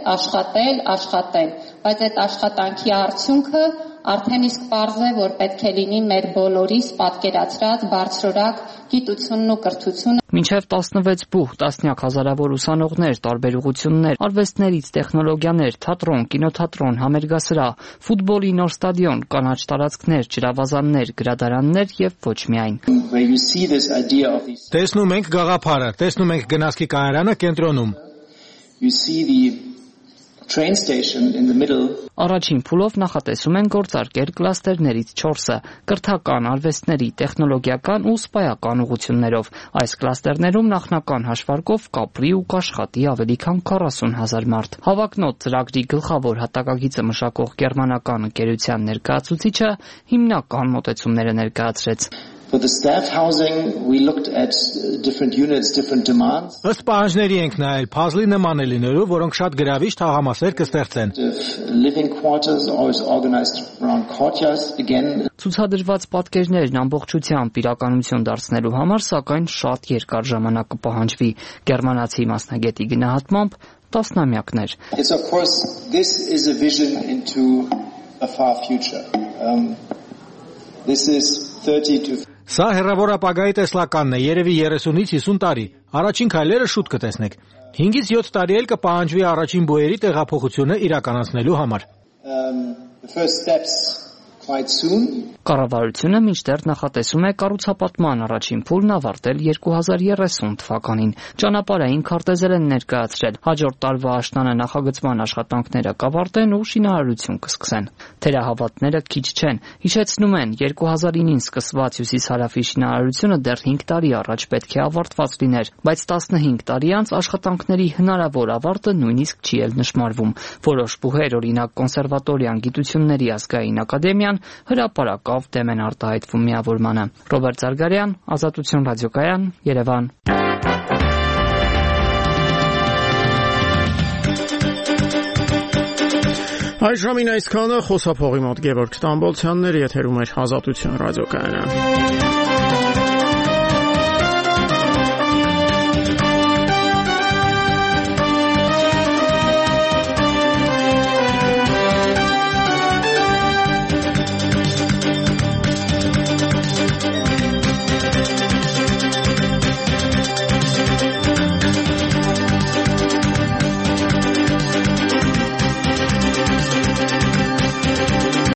բայց այդ աշխատանքի արդյունքը արդեն իսկ պարզ է, որ պետք է լինի մեր բոլորիս պատկերացրած բարձրորակ գիտությունն ու կրթությունը։
Մինչև 16 բուհ, տասնյակ հազարավոր ուսանողներ, տարբեր ուղղություններ, արվեստներից տեխնոլոգիաներ, թատրոն, կինոթատրոն, համերգասրահ, ֆուտբոլի նոր ստադիոն, կանաչ տարածքներ, ջրավազաններ, գրադարաններ եւ ոչ միայն։
Տեսնում ենք գաղափարը, տեսնում ենք գնացքի կայարանը կենտրոնում։
Train station in the middle.
Առաջին փուլով նախատեսում են գործարկել կլաստերներից 4-ը՝ կրթական, արվեստների, տեխնոլոգիական ու սպայական ուղղություններով։ Այս կլաստերներում նախնական հաշվարկով կապրի ու կաշխատի ավելի քան 40,000 մարդ։ Հավակնոտ ծրագրի գլխավոր հատակագիծը մշակող գերմանական ընկերության ներկայացուցիչը հիմնական մոտեցումները ներկայացրեց։
For the staff housing, we looked at different units, different demands.
Ըստ պահանջների ենք նայել puzzle-ի նման է լինելու, որոնք շատ գրավիչ թաղամասեր կստեղծեն։
Living quarters always organized around courtyards again.
Ցուցադրված պատկերներն ամբողջությամբ իրականություն դարձնելու համար, սակայն շատ երկար ժամանակ կպահանջվի։ Գերմանացի մասնագետի գնահատմամբ, տասնամյակներ։
It's of course this is a vision into a far future. This is 30 to
Սա հեռավոր ապագայի տեսլականն է, երևի 30-ից 50 տարի։ Առաջին քայլերը շուտ կտեսնեք։ 5-ից 7 տարի էլ կպահանջվի առաջին բոյերի տեղափոխությունը իրականացնելու համար։
The first steps quite soon.
Կառավարությունը մինչդեռ նախատեսում է կառուցապատման առաջին փուլն ավարտել 2030 թվականին։ Ճանապարհային քարտեզեր են ներկայացրել։ Հաջորդ տարվա աշնանը նախագծման աշխատանքները կավարտեն ու շինարարություն կսկսեն։ Թերահավատները քիչ չեն։ Հիշեցնում են, 2009-ին սկսված հյուսիս-հարավի շինարարությունը դեռ 5 տարի առաջ պետք է ավարտված լիներ, բայց 15 տարի անց աշխատանքների հնարավոր ավարտը նույնիսկ չի էլ նշмарվում։ Որոշ բուհեր, օրինակ կոնսերվատորիան, գիտությունների ազգային ակադեմիան հրապարակավ դեմ են արտահայտվում միավորմանը։ Ռոբերտ Զարգարյան, Ազատություն ռադիոկայան, Երևան։
Այժմին այսքանը խոսափողի մոտ Գևորգ Ստամբոլցյանն էր, եթերում էր Ազատություն ռադիոկայանը։